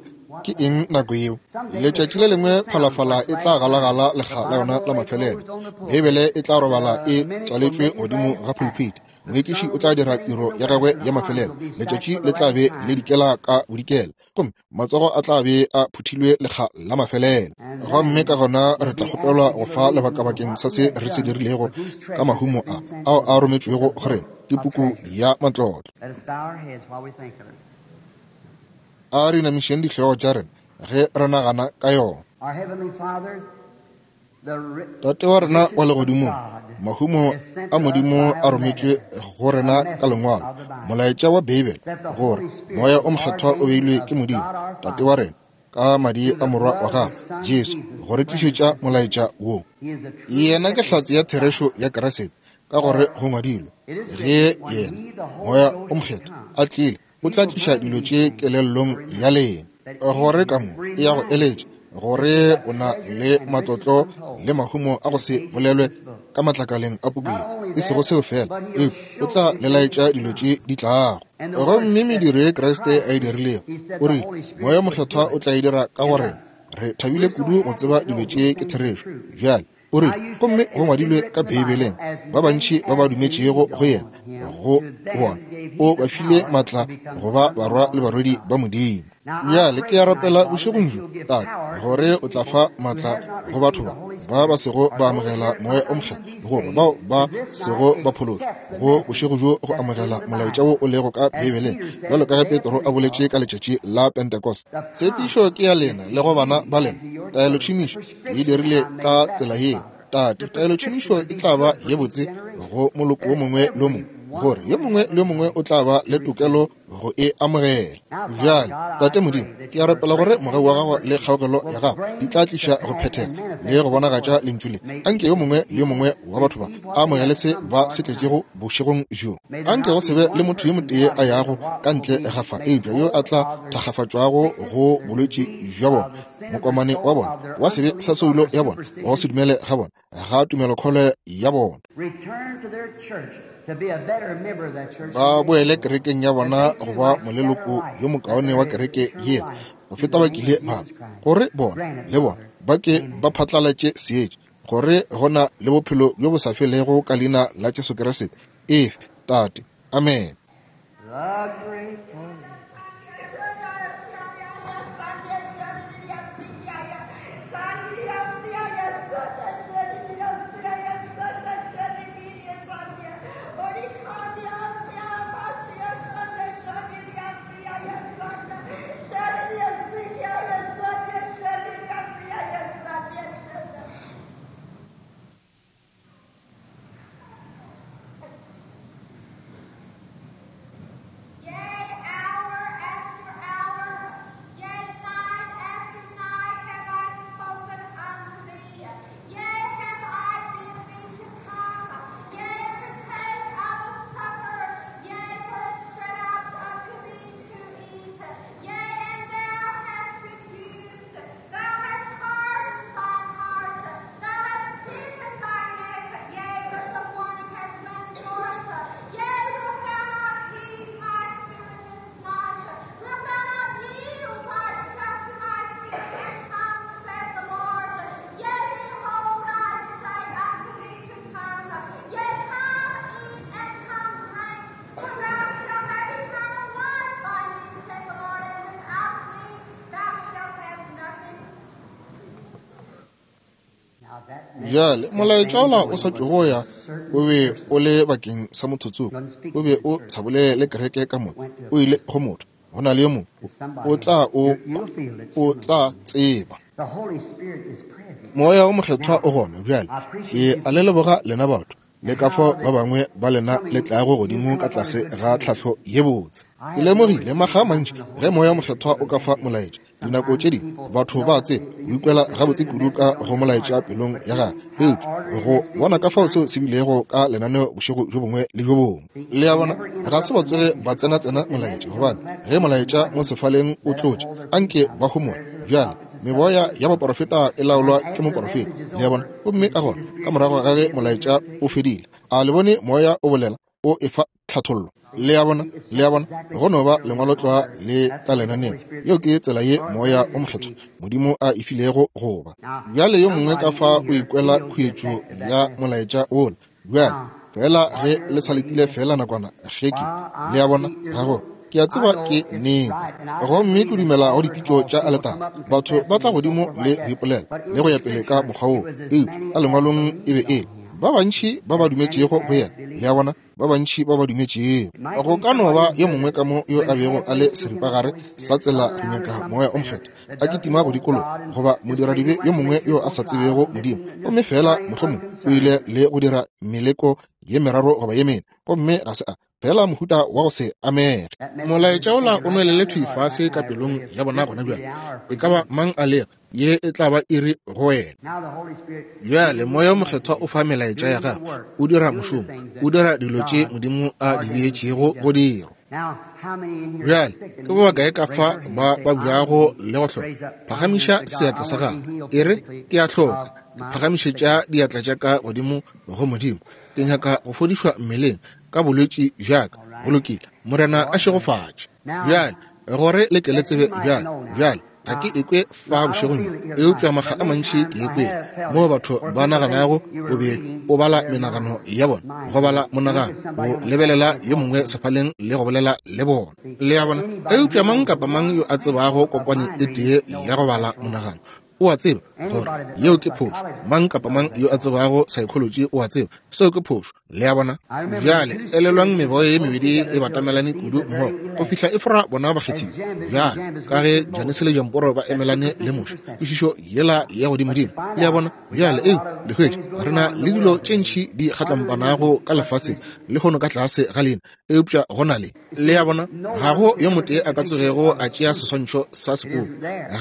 Ke eng nako yeo? Letšatši le lengwe phalafala e tla galagala lekga la yona la mafelelo. Beibele e tla robala e tswaletšwe godimo ga pulpit. Moekiši o tla dira tiro ya gagwe ya mafelelo. Letšatši le tla be le dikela ka bodikela, gomme matsogo a tla be a phuthilwe lekga la mafelelo. Gomme ka gona re tla kgopelwa go fa lebaka bakeng sa se re se dirilego ka mahumo a ao a rometšwego go rena ke puku ya matlotlo. A re inamišeng dihlogo tša rena ge re nagana ka yona. Tate wa rena wa legodimong, mahumo a Modimo a rometšwe go rena ka lengwalo, molaetša wa Beibele, gore Moya o Mokgethwa o beilwe ke Modimo Tate wa rena ka madi a morwa wa gagwe Jesu go re tlišetša molaetša wo. Yena ke hlatse ya therešo ya Kriste, ka gore go ngwadilwe, ge yena Moya o Mokgethwa a tlile, o tla tliša dilo tše kelellong ya lena, gore ka mo e ya go eletša, gore o na le matlotlo le mahumo a go se bolelwe ka matlakaleng a puku ye. E sego seo fela, eupša o tla le laetša dilo tše di tlago. Gomme mediro ye Kriste a e dirilego, o rile Moya Mokgethwa o tla e dira ka go rena. Re thabile kudu go tseba dilo tše ke therešo. Bjale o rile, gomme go ngwadilwe ka Beibeleng, ba bantši ba ba dumetšego go yena, go bona o ba file maatla go ba barwa le barwedi ba Modimo. Bjale ke a rapela bošegong bjo, Tate, gore o tla fa maatla go batho ba ba ba sego ba amogela Moya o Mokgethwa, goba bao ba sego ba phološwa go bošego bjo go amogela molaetša wo o lego ka Beibeleng, bjalo ka ge Petro a boletše ka letšatši la Pentecost. Tshepišo ke ya lena le go bana ba lena. Taelotšhomišo e dirile ka tsela yeo, Tate. Taelotšhomišo e tla ba ye botse go moloko wo mongwe le mongwe, gore yo mongwe le yo mongwe o tla ba le tokelo go e amogela. Bjale Tate Modimo, ke a rapela gore mogau wa gago le kgaogelo ya gago di tla tliša go phethega le go bonagatša lentšu le. Anke yo mongwe le yo mongwe wa batho ba a amogele se ba se tletšego bošegong bjo. Anke go se be le motho yo motee a yago ka ntle ga fa, eupša yo a tla thakgafatšwago go bolwetši bja bona, mokomane wa bona, wa sebe sa soulo ya bona, wa go se dumele ga bona, ga tumelokholo ya bona. Ba boele kerekeng ya bona go ba moleloko yo mokaone wa kereke yela go feta ba kile ba, gore bona le bona ba ke ba phatlalatše seetša, gore go na le bophelo bjo bo sa felego ka leina la Jesu Kriste. Efe, Tate. Amen. Bjale molaetša ola o sa tšwego ya o be o le bakeng sa motho tsoko, o be o sa bolele kereke ka moka, o ile go motho, go na le yo mongwe o tla o o tla tseba. Moya o Mokgethwa o gona bjale. Ke a le leboga lena batho, le ka fao ba bangwe ba lena le tlago godimo ka tlase ga tlhahlo ye botse. Ke lemogile makga a mantši ge Moya Mokgethwa o ka fa molaetša, dinako tše dingwe batho ba tseba o ikwela gabotse kudu ka go molaetša pelong ya gagwe, eupša go bona ka fao seo se bilego ka lenaneo bošego bjo bongwe le bjo bongwe. Le a bona, ga se ba tsoge ba tsena-tsena molaetša, gobane ge molaetša mo sefaleng o tlotše, anke ba homole. Bjale meboya ya baporofeta e laolwa ke moporofeta, le a bona. Gomme ka gona ka morago ga ge molaetša o fedile, a le bone moya o bolela, o efa tlhathollo. Le a bona, le a bona, go no ba lengwalotlwa le ka lenaneo. Yeo ke tsela ye Moya o Mokgethwa Modimo a e filego go ba. Bjale yo mongwe ka fa o ikwela khuetšo ya molaetša wola. Bjale fela ge le sa letile fela nakwana ge ke, le a bona, ga go, ke a tseba ke nnete. Gomme ke dumela go dipitšo tša aletara. Batho ba tla godimo le go ipolela le go ya pele ka mokgwa woo, eupša ka lengwalong e be e le Ba bantši ba ba dumetšego go yena, le a bona, ba bantši ba ba dumetšego. Go ka no ba yo mongwe ka mo yo a bego a le seripagare sa tsela go nyaka Moya o Mokgethwa, a kitima go dikologa, goba modiradibe yo mongwe yo a sa tsebego Modimo, gomme fela mohlomongwe o ile le go dira meleko ye meraro goba ye mene, gomme ga se a fela mohuta wa go se amege. Molaetša ola o nwelele thwi fase ka pelong ya bona gona bjale. E ka ba mang a lego, ye e tla ba iri go wena. Bjale Moya o Mokgethwa o fa melaetša ya gagwe, o dira mošomo, o dira dilo tše Modimo a di beetšego go dirwa. Bjale ke ba bakae ka fa ba babjago le go hloka? Phagamiša seatla sa gago, e re, ke a hloka. Ke phagamišetša diatla tša ka godimo go Modimo. Ke nyaka go fodišwa mmeleng ka bolwetši bjaka. Go lokile, Morena a šegofatše. Bjale gore le ke le tsebe bjale, bjale ga ke ekwe fa bošegong bjo, eupša makga a mantši ke ekwele moo batho ba naganago o be o bala menagano ya bona, go bala monagano, o lebelela yo mongwe sefaleng le go bolela le bona, le a bona. Eupša mang kapa mang yo a tsebago kokwane e tee ya go bala monagano o a tseba gore yeo ke phošo. Mang kapa mang yo a tsebago psychology o a tseba seo ke phošo, le a bona. Bjale elelwang meboya ye mebedi e batamelane kudu mmogo go fihla e fora bona bakgethiwa. Bjale ka ge Janese le Jamporo ba emelane le Moshe, kwešišo yela ya godimodimo, le a bona. Bjale eo le hwetše re na le dilo tše ntši di kgatlampanago ka lefaseng lehono ka tlase ga lena, eupša go na le, le a bona, ga go yo motee a ka tsogego a tšea seswantšho sa sepoko,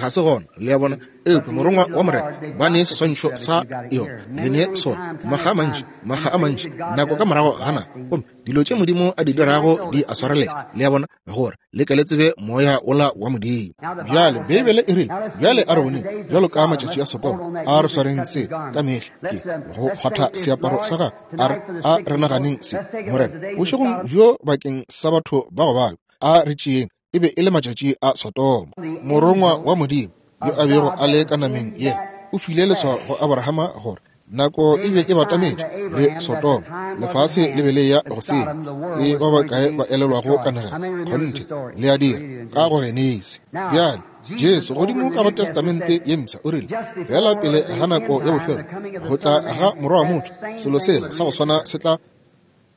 ga se gona, le a bona. Eupša morongwa wa Morena ba ne seswantšho sa yona, le ne sona makga a mantši, makga a mantši, nako ka morago ga nako, gomme dilo tše Modimo a di dirago di a swarelela, le a bona, gore le ke le tsebe moya ola wa Modimo. Bjale Beibele e rile, bjale a re boneng bjalo ka matšatši a Sodoma, a re swareng se ka mehla, ke go kgwatha seaparo sa gagwe, a re a re naganeng se, Morena, bošegong bjo bakeng sa batho ba go babja, a re tšeeng, e be e le matšatši a Sodoma. Morongwa wa Modimo yo a bego a le ka nameng yena o file leswao go Abrahama gore nako e be e batametše le Sodoma, lefase le be le ya go senya. E ba bakae ba elelwago kanegelo? Kgonthe le a dira ka go Genesi. Bjale Jesu godimo ka go Testamente ye Mpsha o rile, fela pele ga nako ya bofelo go tla ga Morwa wa motho, selo sela sa go swana se tla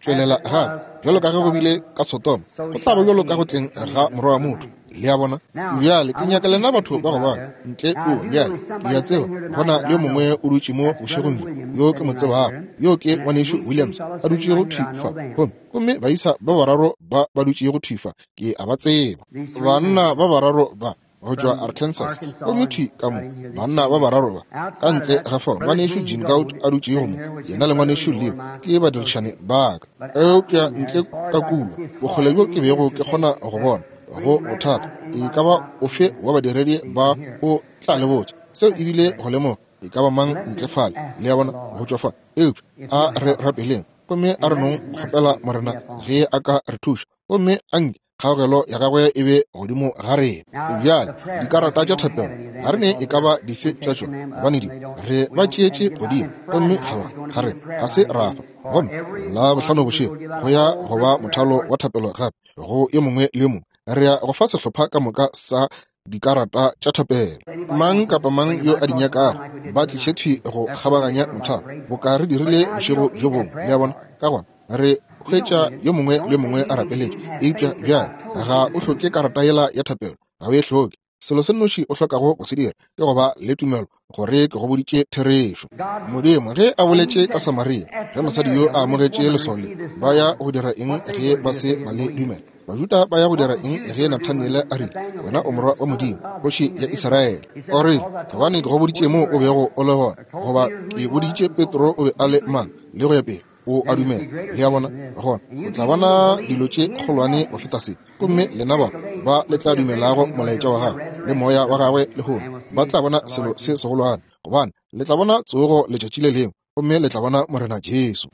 tšwelela gape, bjalo ka ge go bile ka Sodoma, go tla ba bjalo ka go tleng ga Morwa wa motho. Le a bona? Bjale ke nyaka lena batho ba go bala ntle kua. Bjale ke a tseba go na le yo mongwe o dutše mo bošegong bjo yo ke mo tsebago, yo ke ngwanešu Williams a dutšego thwi fa, gomme gomme baisa ba bararo ba ba dutšego thwi fa, ke a ba tseba. Banna ba bararo ba go tšwa Arkansas, gomme thwi ka mo banna ba bararo ba ka ntle ga fao, ngwanešu Jim Gout a dutšego mo, yena le ngwanešu Leo ke badirišane ba ka. Eupša ntle ka kua bokgole bjo ke bego ke kgona go bona go bothata e ka ba ofe wa badiredi ba o tla le botša seo, ebile go lemoga e ka ba mang ntle fale, le a bona, go tšwa fa. Eupša a re rapeleng gomme a re nong kgopela Morena ge a ka re thuša, gomme a nke kgaogelo ya gagwe e be godimo ga rena. Bjale dikarata tša thapelo ga re ne e ka ba dife tša tšona, gobane di re ba tšeetše godimo, gomme ga ba ga re ga se ra fa. Gomme la bohlano bošego go ya go ba mothalo wa thapelo gape go yo mongwe le yo mongwe. Re ya go fa sehlopha ka moka sa dikarata tša thapelo. Mang kapa mang yo a di nyakago ba tliše thwi go kgabaganya mothalo, boka re dirile bošego bjo bongwe, le a bona. Ka gona re hwetša yo mongwe le mongwe a rapeletše. Eupša bjale ga o hloke karata yela ya thapelo, ga o e hloke. Selo se nnoši o hlokago go se dira ke go ba le tumelo gore ke go boditše therešo. Modimo ge a boletše ka Samaria, ge mosadi yo a amogetše leswao le, ba ya go dira eng ge ba se ba le dumela? Bajuda ba ya go dira eng ge Nathaniele a rile, wena o morwa wa Modimo, kgoši ya Israele? O rile, gobane ke go boditše moo o bego o le gona, goba ke boditše Petro o be a le mang, le go ya pele. O a dumela, le a bona, gona o tla bona dilo tše kgolwane go feta se. Gomme lena ba ba le tla dumelago molaetša wa gagwe le moya wa gagwe lehono, ba tla bona selo se segolwane, gobane le tla bona tsogo letšatši le lengwe, gomme le tla bona Morena Jesu.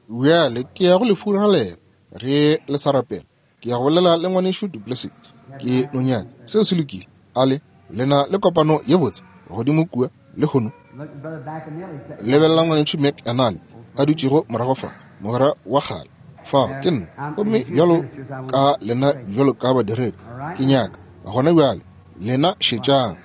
Bjale ke ya go le furalela ge le sa rapela. Ke ya go bolela le ngwanešu Duplessis, ke nonyana. Seo se lokile. Ale lena le kopano ye botse godimo kua lehono. Lebelela ngwanešu McAnally a dutšego morago fa, mogwera wa kgale fao ke nna, gomme bjalo ka lena bjalo ka badiredi ke nyaka gona bjale Lena šetšang.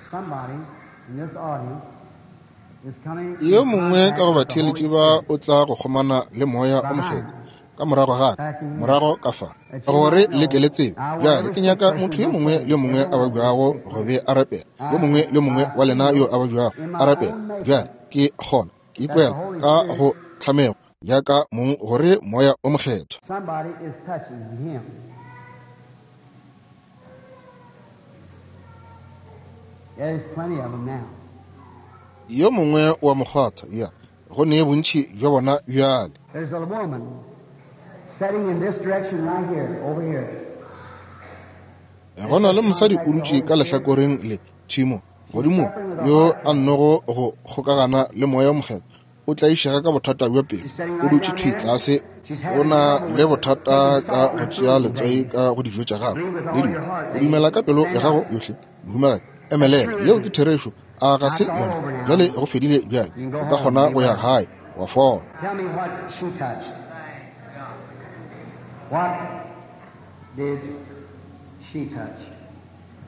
Yo mongwe ka go batheeletši ba o tla go kgomana le Moya o Mokgethwa ka morago ga ka, morago ka fa, gore le ke le tsebe. Bjale ke nyaka motho yo mongwe le yo mongwe a babjago go be a rapela, yo mongwe le yo mongwe wa lena yo a babjago a rapela. Bjale ke kgona ke ikwela ka go tlhamego ya ka mong gore Moya o Mokgethwa. Somebody is touching him. There's plenty of them now. Yo mongwe wa mokgwatha, ya, go ne bontši bja bona bjale. There's a woman sitting in this direction right here, over here. Go na le mosadi o dutše ka lehlakoreng le tšhimo godimo yo a nnogo go kgokagana le Moya o Mokgethwa. O tlaišega ka bothata bja pelo, o dutše thwi tlase, o na le bothata ka go tšea letswai ka go dijo tša gagwe le dilo. O dumela ka pelo ya gago yohle, mohumagadi. Emelela, yeo ke therešo. A ga se yona? Bjale go fedile bjale, o ka kgona go ya gae wa fola. Tell me what she touched. What did she touch?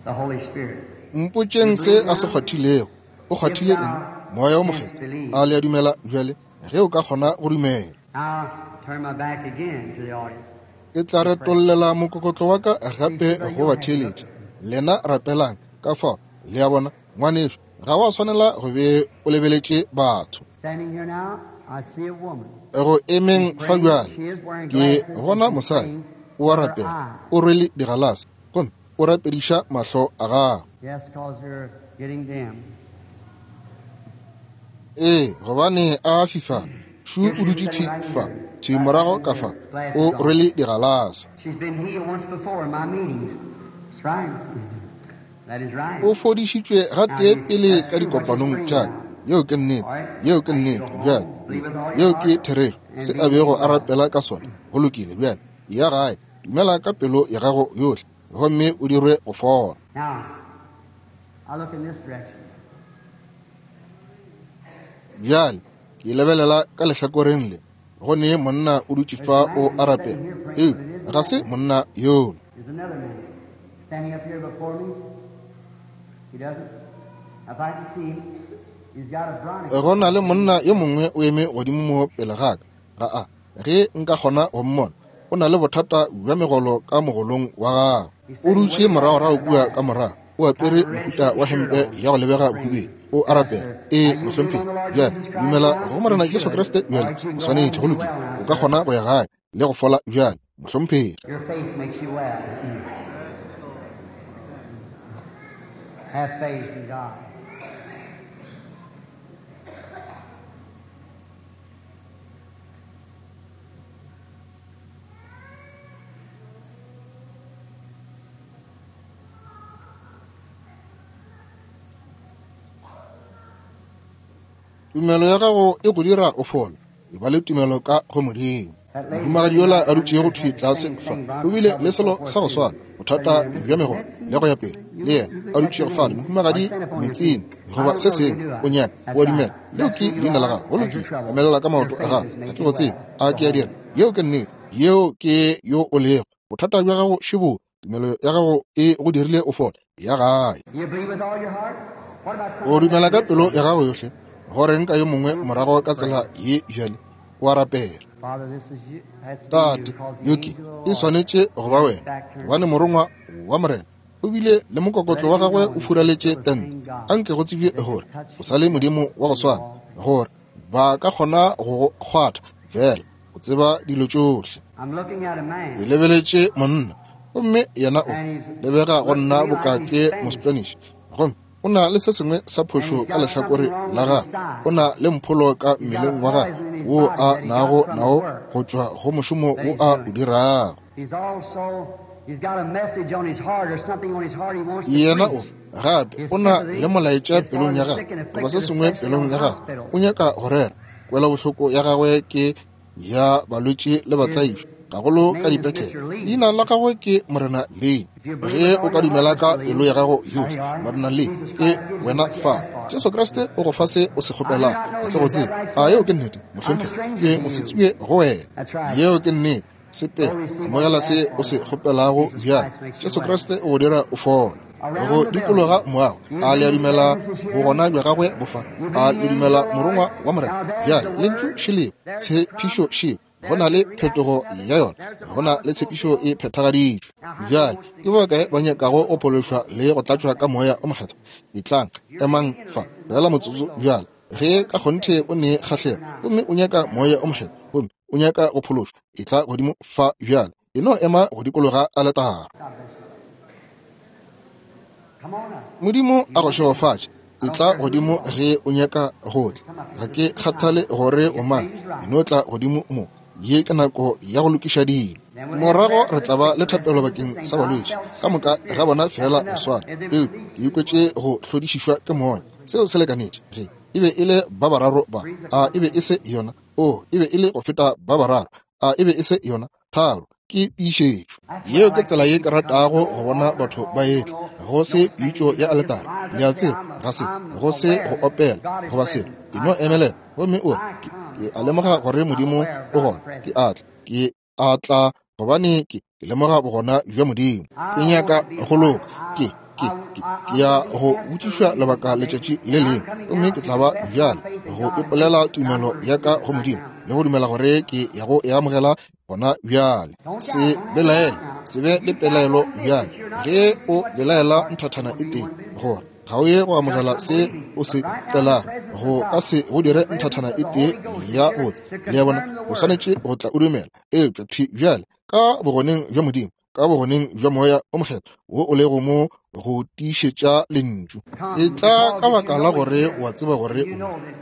The Holy Spirit. Mpotšeng se a se kgwathilego. O kgwathile eng? Moya o Mokgethwa. A le a dumela bjale? Ge o ka kgona go dumela. I'll turn my back again to the audience. Ke tla retollela mokokotlo wa ka gape go batheeletši. Lena rapelang ka fao. Le a bona, ngwanešu, ga wa swanela go be o lebeletše batho. Standing here now, I see a woman. Go emeng fa bjale, ke bona mosadi o a rapela, o rwele digalase, gomme o rapediša mahlo a gagwe. Yes, 'cause they're getting dim. Ee, gobane a fifala. Šu o dutše thwi fa, thwi morago ka fa, o rwele digalase. She's been healed once before in my meetings. That's right. That is right. O fodišitšwe gatee pele ka dikopanong tša ka. Yeo ke nnete, yeo ke nnete bjale, yeo ke therešo, se a bego a rapela ka sona. Go lokile bjale, ya gae, dumela ka pelo ya gago yohle, gomme o dirwe go fola. Now, I look in this direction. Bjale ke lebelela ka lehlakoreng le, go ne monna o dutše fa o a rapela, eupša ga se monna yola. There's another man standing up here before me. He doesn't. If I can see him, he's got a bronchitis. Go na le monna yo mongwe o eme godimo mo pele ga ka. Ga a, ge nka kgona go mmona, o na le bothata bja megolo ka mogolong wa gagwe. O dutše moragorago kua ka morago, o apere mohuta wa hempe ya go lebega bohubedu. O a rapela. Ee, mohlomphegi. Bjale dumela go Morena Jesu Kriste bjale, o swanetše go lokile. O ka kgona go ya gae le go fola bjale, mohlomphegi. Your faith makes you well. Have faith in God. Tumelo ya gago e go dira o fole. E ba le tumelo ka go Modimo. Mohumagadi yola a dutšego thwi tlase fa o bile le selo sa go swana, bothata bja megolo le go ya pele. Le yena a dutšego fale, mohumagadi metsing goba se sengwe, o nyaka, o a dumela. Leo ke leina la gago. Go lokile, emelela ka maoto a gago. Ga ke go tsebe, a ke a dira? Yeo ke nnete, yeo ke yo o lego. Bothata bja gago šebo, tumelo ya gago e go dirile o fole. Ya gae. You believe with all your heart? What about O dumela ka pelo ya gago yohle. Go reng ka yo mongwe morago ka tsela ye bjale, o a rapela. Father, this is you. Has to be Tate, you, 'cause the yo ke angel of the e Lord swanetše go ba wena, gobane morongwa wa Morena o bile le mokokotlo wa gagwe o furaletše tente. Anke go tsebje gore o sa le Modimo wa go swana, gore ba ka kgona go go kgwatha fela, o tseba dilo tšohle. I'm looking at a man. Ke lebeletše monna, gomme yena o lebega go nna boka ke Mospanish, gomme o na le se sengwe sa phošo ka lehlakore la gagwe. O na le mpholo ka mmeleng wa gagwe wo a nago nao go tšwa go mošomo wo a o dirago. He's also he's got a message on his heart or something on his heart he wants to Yena o preach. gape o na le molaetša pelong ya gagwe goba se sengwe pelong ya gagwe, o nyaka go rera. Kwela bohloko ya gagwe ke ya balwetši le batlaišwa, gagolo ka dipetlele. Leina la gagwe ke Morena Lee. Ge o ka dumela ka pelo ya gago yohle, Morena Lee, ke wena fa. Jesu Kriste o go fa se o se kgopelago. Ga ke go tsebe. A yeo ke nnete, mohlomphegi? Ke mosetsebje go wena. Yeo ke nnete. Sepela, amogela se o se kgopelago bjale. Jesu Kriste o go dira o fole. Go dikologa moago, a le a dumela bogona bja gagwe bo fa? A le dumela morongwa wa Morena? Bjale lentšu šeleo, tshepišo šeo, go na le phetogo ya yona, go na le tshepišo e phethagaditšwe. Bjale ke ba kae ba nyakago go phološwa le go tlatšwa ka Moya o Mokgethwa? Etlang, emang fa fela motsotso bjale. Ge ka kgonthe o ne kgahlego gomme o nyaka Moya o Mokgethwa gomme o nyaka go phološwa, etla godimo fa bjale. E no ema go dikologa aletara. Modimo a go šegofatše. Etla godimo ge o nyaka go tla. Ga ke kgathale gore o mang, e no tla godimo mo. Ye ke nako ya go lokiša dilo. Morago re tla ba le thapelo bakeng sa balwetši ka moka ga bona fela go swana, eupša ke ikwetše go hlodišišwa ke moya. Seo se lekanetše. Ge e be e le ba bararo ba, a e be e se yona? O, e be e le go feta ba bararo. A e be e se yona? Tharo. Ke tiišetšo. Yeo ke tsela ye ke ratago go bona batho ba etla, go se pitšo ya aletara. Le a tseba, ga se go se go opela goba selo. E no emelela gomme o re, ke a lemoga gore Modimo o gona. Ke a tla, ke a tla gobane ke ke lemoga bogona bja Modimo. Ke nyaka go loka. Ke ke ke ke ya go botšišwa lebaka letšatši le lengwe, gomme ke tla ba bjale go ipolela tumelo ya ka go Modimo le go dumela gore ke ya go e amogela gona bjale. Se belaele, se be le pelaelo bjale. Ge o belaela nthathana e tee gore ga o ye go amogela se o se tlelago, go ka se go dire nthathana e tee ya botse. Le a bona, o swanetše go tla o dumela. Eupša thwi bjale ka bogoneng bja Modimo, ka bogoneng bja Moya o Mokgethwa wo o lego mo go tiišetša lentšu, e tla ka baka la gore o a tseba gore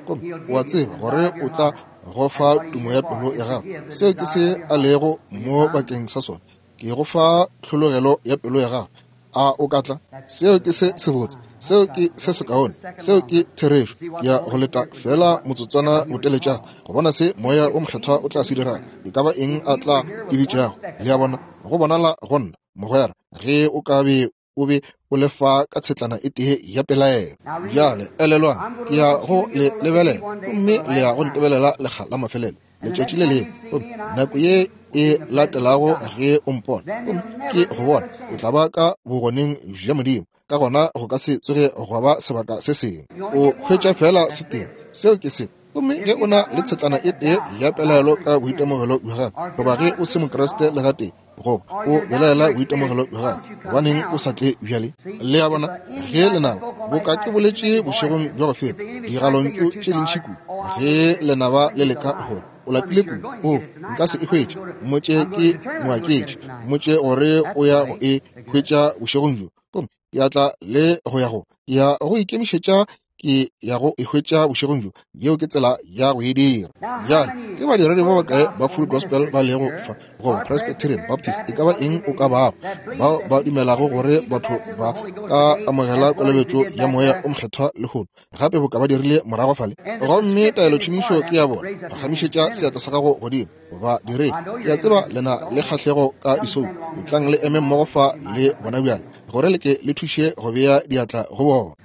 o o a tseba gore o tla go fa tumo ya pelo ya gago. Seo ke se a lego mo bakeng sa sona. Ke go fa tlhologelo ya pelo ya gago. A o ka tla? Seo ke se sebotse, seo ke se sekaone, seo ke therešo. Ke ya go leta fela motsotswana boteletšana go bona se Moya o Mokgethwa o tla se dirago, e ka ba eng a tla e bitšago. Le a bona, go bonala go nna, mogwera, ge o ka be o be o lefa ka tshetlana e tee ya pelaelo. Bjale elelwang, ke ya go le lebelela gomme le ya go ntebelela lekga la mafelelo letšatši le lengwe. Gomme nako ye e latelago ge o mpona gomme ke go bona, o tla ba ka bogoneng bja Modimo. Ka gona go ka se tsoge gwa ba sebaka se sengwe. O hwetša fela se tee, seo ke se. Gomme ge o na le tshetlana e tee ya pelaelo ka boitemogelo bja gago, goba ge o se Mokriste le gatee, goba o belaela boitemogelo bja gago, gobaneng o sa tle bjale? Le a bona, ge lenaba, boka ke boletše bošegong bja go feta, digalontšu tše dintši kudu, ge lenaba le leka gore o lapile kudu, o nka se e hwetše, mmotše ke moaketše, mmotše gore o ya go e hwetša bošegong bjo. Gomme ke a tla le go ya go, ke ya go ikemišetša, ke ya go e hwetša bošegong bjo. Yeo ke tsela ya go e dira. Bjale ke badiredi ba bakae ba Full Gospel ba lego fa, goba Presbyterian, Baptist, e ka ba eng o ka bago, bao ba dumelago gore batho ba ka amogela kolobetšo ya Moya o Mokgethwa lehono gape boka ba dirile morago fale? Gomme taelotšhomišo ke ya bona. Phagamišetša seatla sa gago godimo, ba direng. Ke a tseba le na le kgahlego ka disoulo. Etlang le eme mmogo fa le bona bjale, gore le ke le thuše go bea diatla go bona.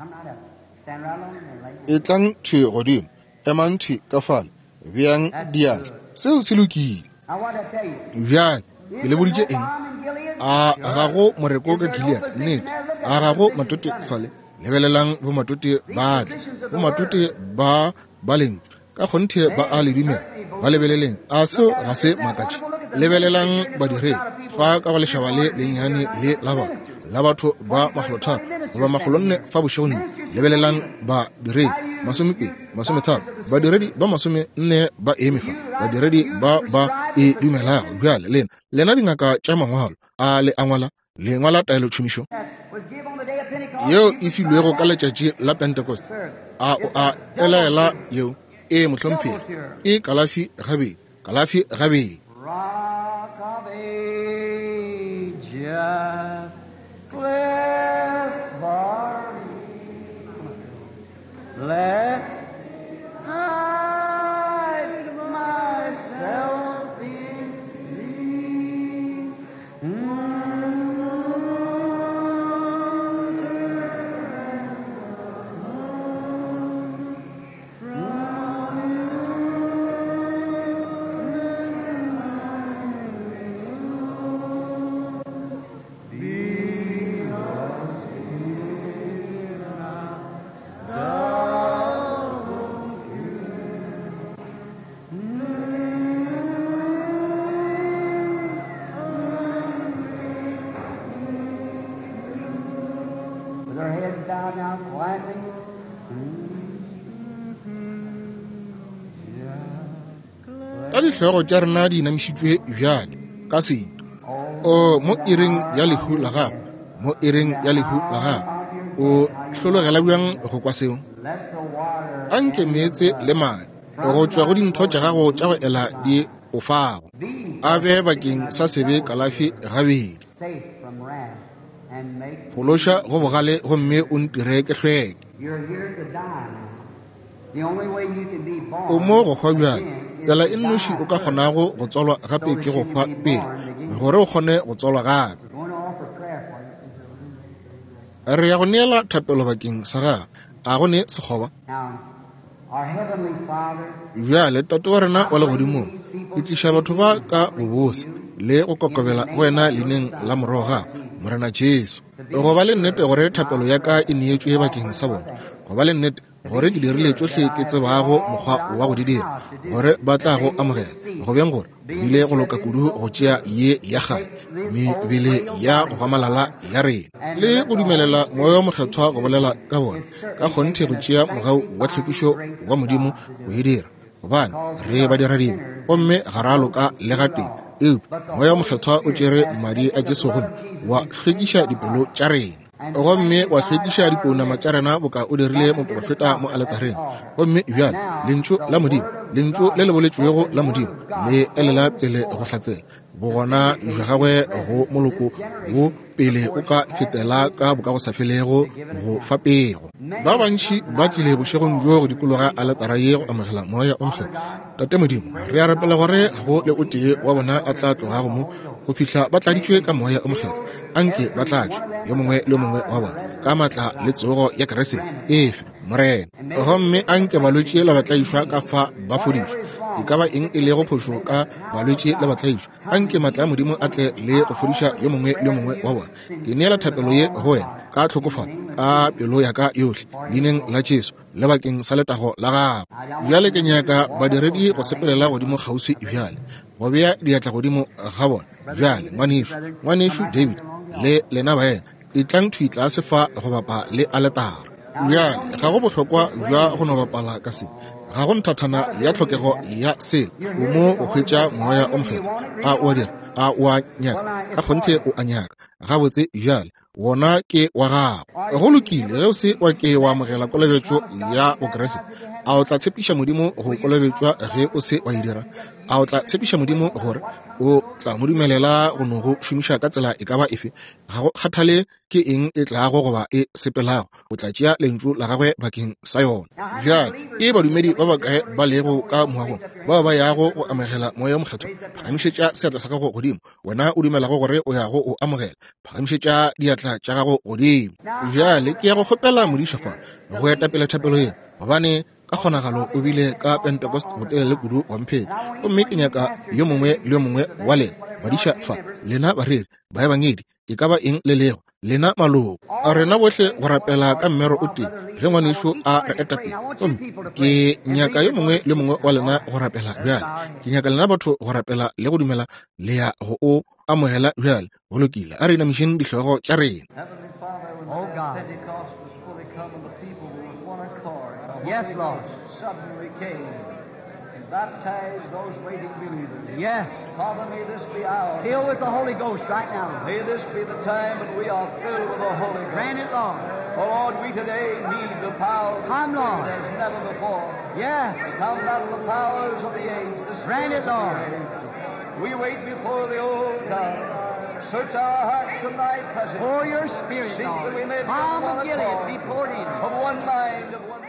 Etlang thwi godimo, emang thwi ka fale, beang diatla. Seo se lokile. Bjale ke le boditše eng? A ga go moreko ka Gilead? Nnete, a ga go matote fale? Lebelelang bomatote ba tla, bomatote ba ba lentšu ka kgonthe ba a le dumela. Ba lebeleleng, a seo ga se makatše? Lebelelang badiredi fa ka go lešaba le lennyane le la bona la batho ba makgolotharo goba makgolonne fa bošegong. Lebelelang badiredi masomepedi, masometharo, badiredi ba masomenne ba eme fa, badiredi ba ba e dumelago. Bjale lena, lena dingaka tša mangwalo, a le a ngwala, le ngwala taelotšhomišo yeo e filwego ka letšatši la Pentecost. A o a elaela yeo? E mohlomphegi, e kalafi gabedi, kalafi gabedi. Rock of Ages, cleft for me. Let hide myself in thee. Be Ka dihlogo tša rena di inamišitšwe bjale ka setu. O mo iring ya lehu la gago, mo iring ya lehu la gago, o hlologela bjang go kwa seo? Anke meetse le madi go tšwa go dintho tša gago tša go ela di o fago, a be bakeng sa sebe kalafi gabedi. Phološa go bogale gomme o ntire ke hlweke. O mo go hwa bjale. Tsela e nnoši o ka kgonago go tswalwa gape ke go hwa pele, gore o kgone go tswalwa gape. Re ya go neela thapelo bakeng sa gago. A go ne sekgoba? Bjale, Tate wa rena wa legodimong, ke tliša batho ba ka bobose le go kokobela go wena leineng la Morwa wa gago, Morena Jesu. Go ba le nnete gore thapelo ya ka e neetšwe bakeng sa bona, go ba le nnete gore ke dirile tšohle ke tsebago mokgwa wa go di dira, gore ba tla go amogela. Go bjang gore bile go loka kudu go tšea ye ya kgale mebele ya go gamalala ya rena le go dumelela Moya wo Mokgethwa go bolela ka bona, ka kgonthe go tšea mogau wa tlhwekišo wa Modimo go e dira, gobane re badiradibe gomme ga ra loka le gatee. Eupša Moya wo Mokgethwa o tšere madi a Jesu gomme wa hlwekiša dipelo tša rena, gomme wa hlwekiša dipounama tša rena boka o dirile moprofeta mo aletareng. Gomme bjale lentšu la Modimo, lentšu le le boletšwego la Modimo, le elela pele go hlatsela bogona bja gagwe go moloko wo pele o ka fetela ka bokagosafelego go fa pego. Ba bantši ba tlile bošegong bjo go dikologa aletara ye go amogela Moya o Mokgethwa. Tate Modimo, re a rapela gore ga go le o tee wa bona a tla tlogago mo go fihla ba tladitšwe ka Moya o Mokgethwa. Anke ba tlatšwe, yo mongwe le yo mongwe wa bona, ka maatla le tsogo ya Kriste efe, Morena. Gomme anke balwetši le batlaišwa ka fa ba fodišwe. E ka ba eng e lego phošo ka balwetši le batlaišwa, anke maatla a Modimo a tle le go fodiša yo mongwe le yo mongwe wa bona. Ke neela thapelo ye go wena ka tlhokofalo, ka pelo ya ka yohle, leineng la Jesu le bakeng sa letago la gago. Bjale ke nyaka badiredi go sepelela godimo kgauswi bjale, go bea diatla godimo ga bona. Bjale ngwanešu, ngwanešu David le lena baena, etlang thwi tlase fa go bapa le aletara. Bjale ga go bohlokwa bja go no bapala ka se, ga go nthathana ya tlhokego ya sele. O mo o hwetša Moya o Mokgethwa. A o a dira? A o a nyaka? Ka kgonthe o a nyaka. Gabotse bjale wona ke wa gago. Go lokile ge o se wa ke wa amogela kolobetšo ya Bokriste. A o tla tshepiša Modimo go kolobetšwa ge o se wa e dira? A o tla tshepiša Modimo gore o tla mo dumelela go no go šomiša ka tsela e ka ba efe? Ga go kgathale ke eng e tlago goba e sepelago, o tla tšea lentšu la gagwe bakeng sa yona. Bjale ke badumedi ba bakae ba lego ka moagong bao ba yago go amogela Moya o Mokgethwa? Phagamišetša seatla sa gago godimo, wena o dumelago gore o yago o amogela. Phagamišetša diatla tša gago godimo. Bjale ke ya go kgopela modiša fa go etapele thapelo ye, gobane ka kgonagalo o bile ka Pentecost botelele kudu wa mpheta. Gomme ke nyaka yo mongwe le yo mongwe wa lena badiša fa, lena bareri, baebangedi, e ka ba eng le lego, lena maloko a rena bohle go rapela ka mmero o tee ge ngwanešu a re etapele. Gomme ke nyaka yo mongwe le mongwe wa lena go rapela bjale. Ke nyaka lena batho go rapela le go dumela le ya go o amogela bjale. Go lokile, a re inamišeng dihlogo tša rena. Yes, Lord. Suddenly came and baptized those waiting believers. Yes. Father, may this be our Fill with the Holy Ghost right now. May this be the time when we are filled with the Holy Ghost. Grant it, Lord. Oh, Lord, we today need the power of the Come, Lord, as never before. Yes. Come out of the powers of the age. The Grant it, Lord. We wait before the old God. Search our hearts and thy presence. Pour your spirit, Seek Lord. That we may be Balm of Gilead be poured in. Of one mind, of one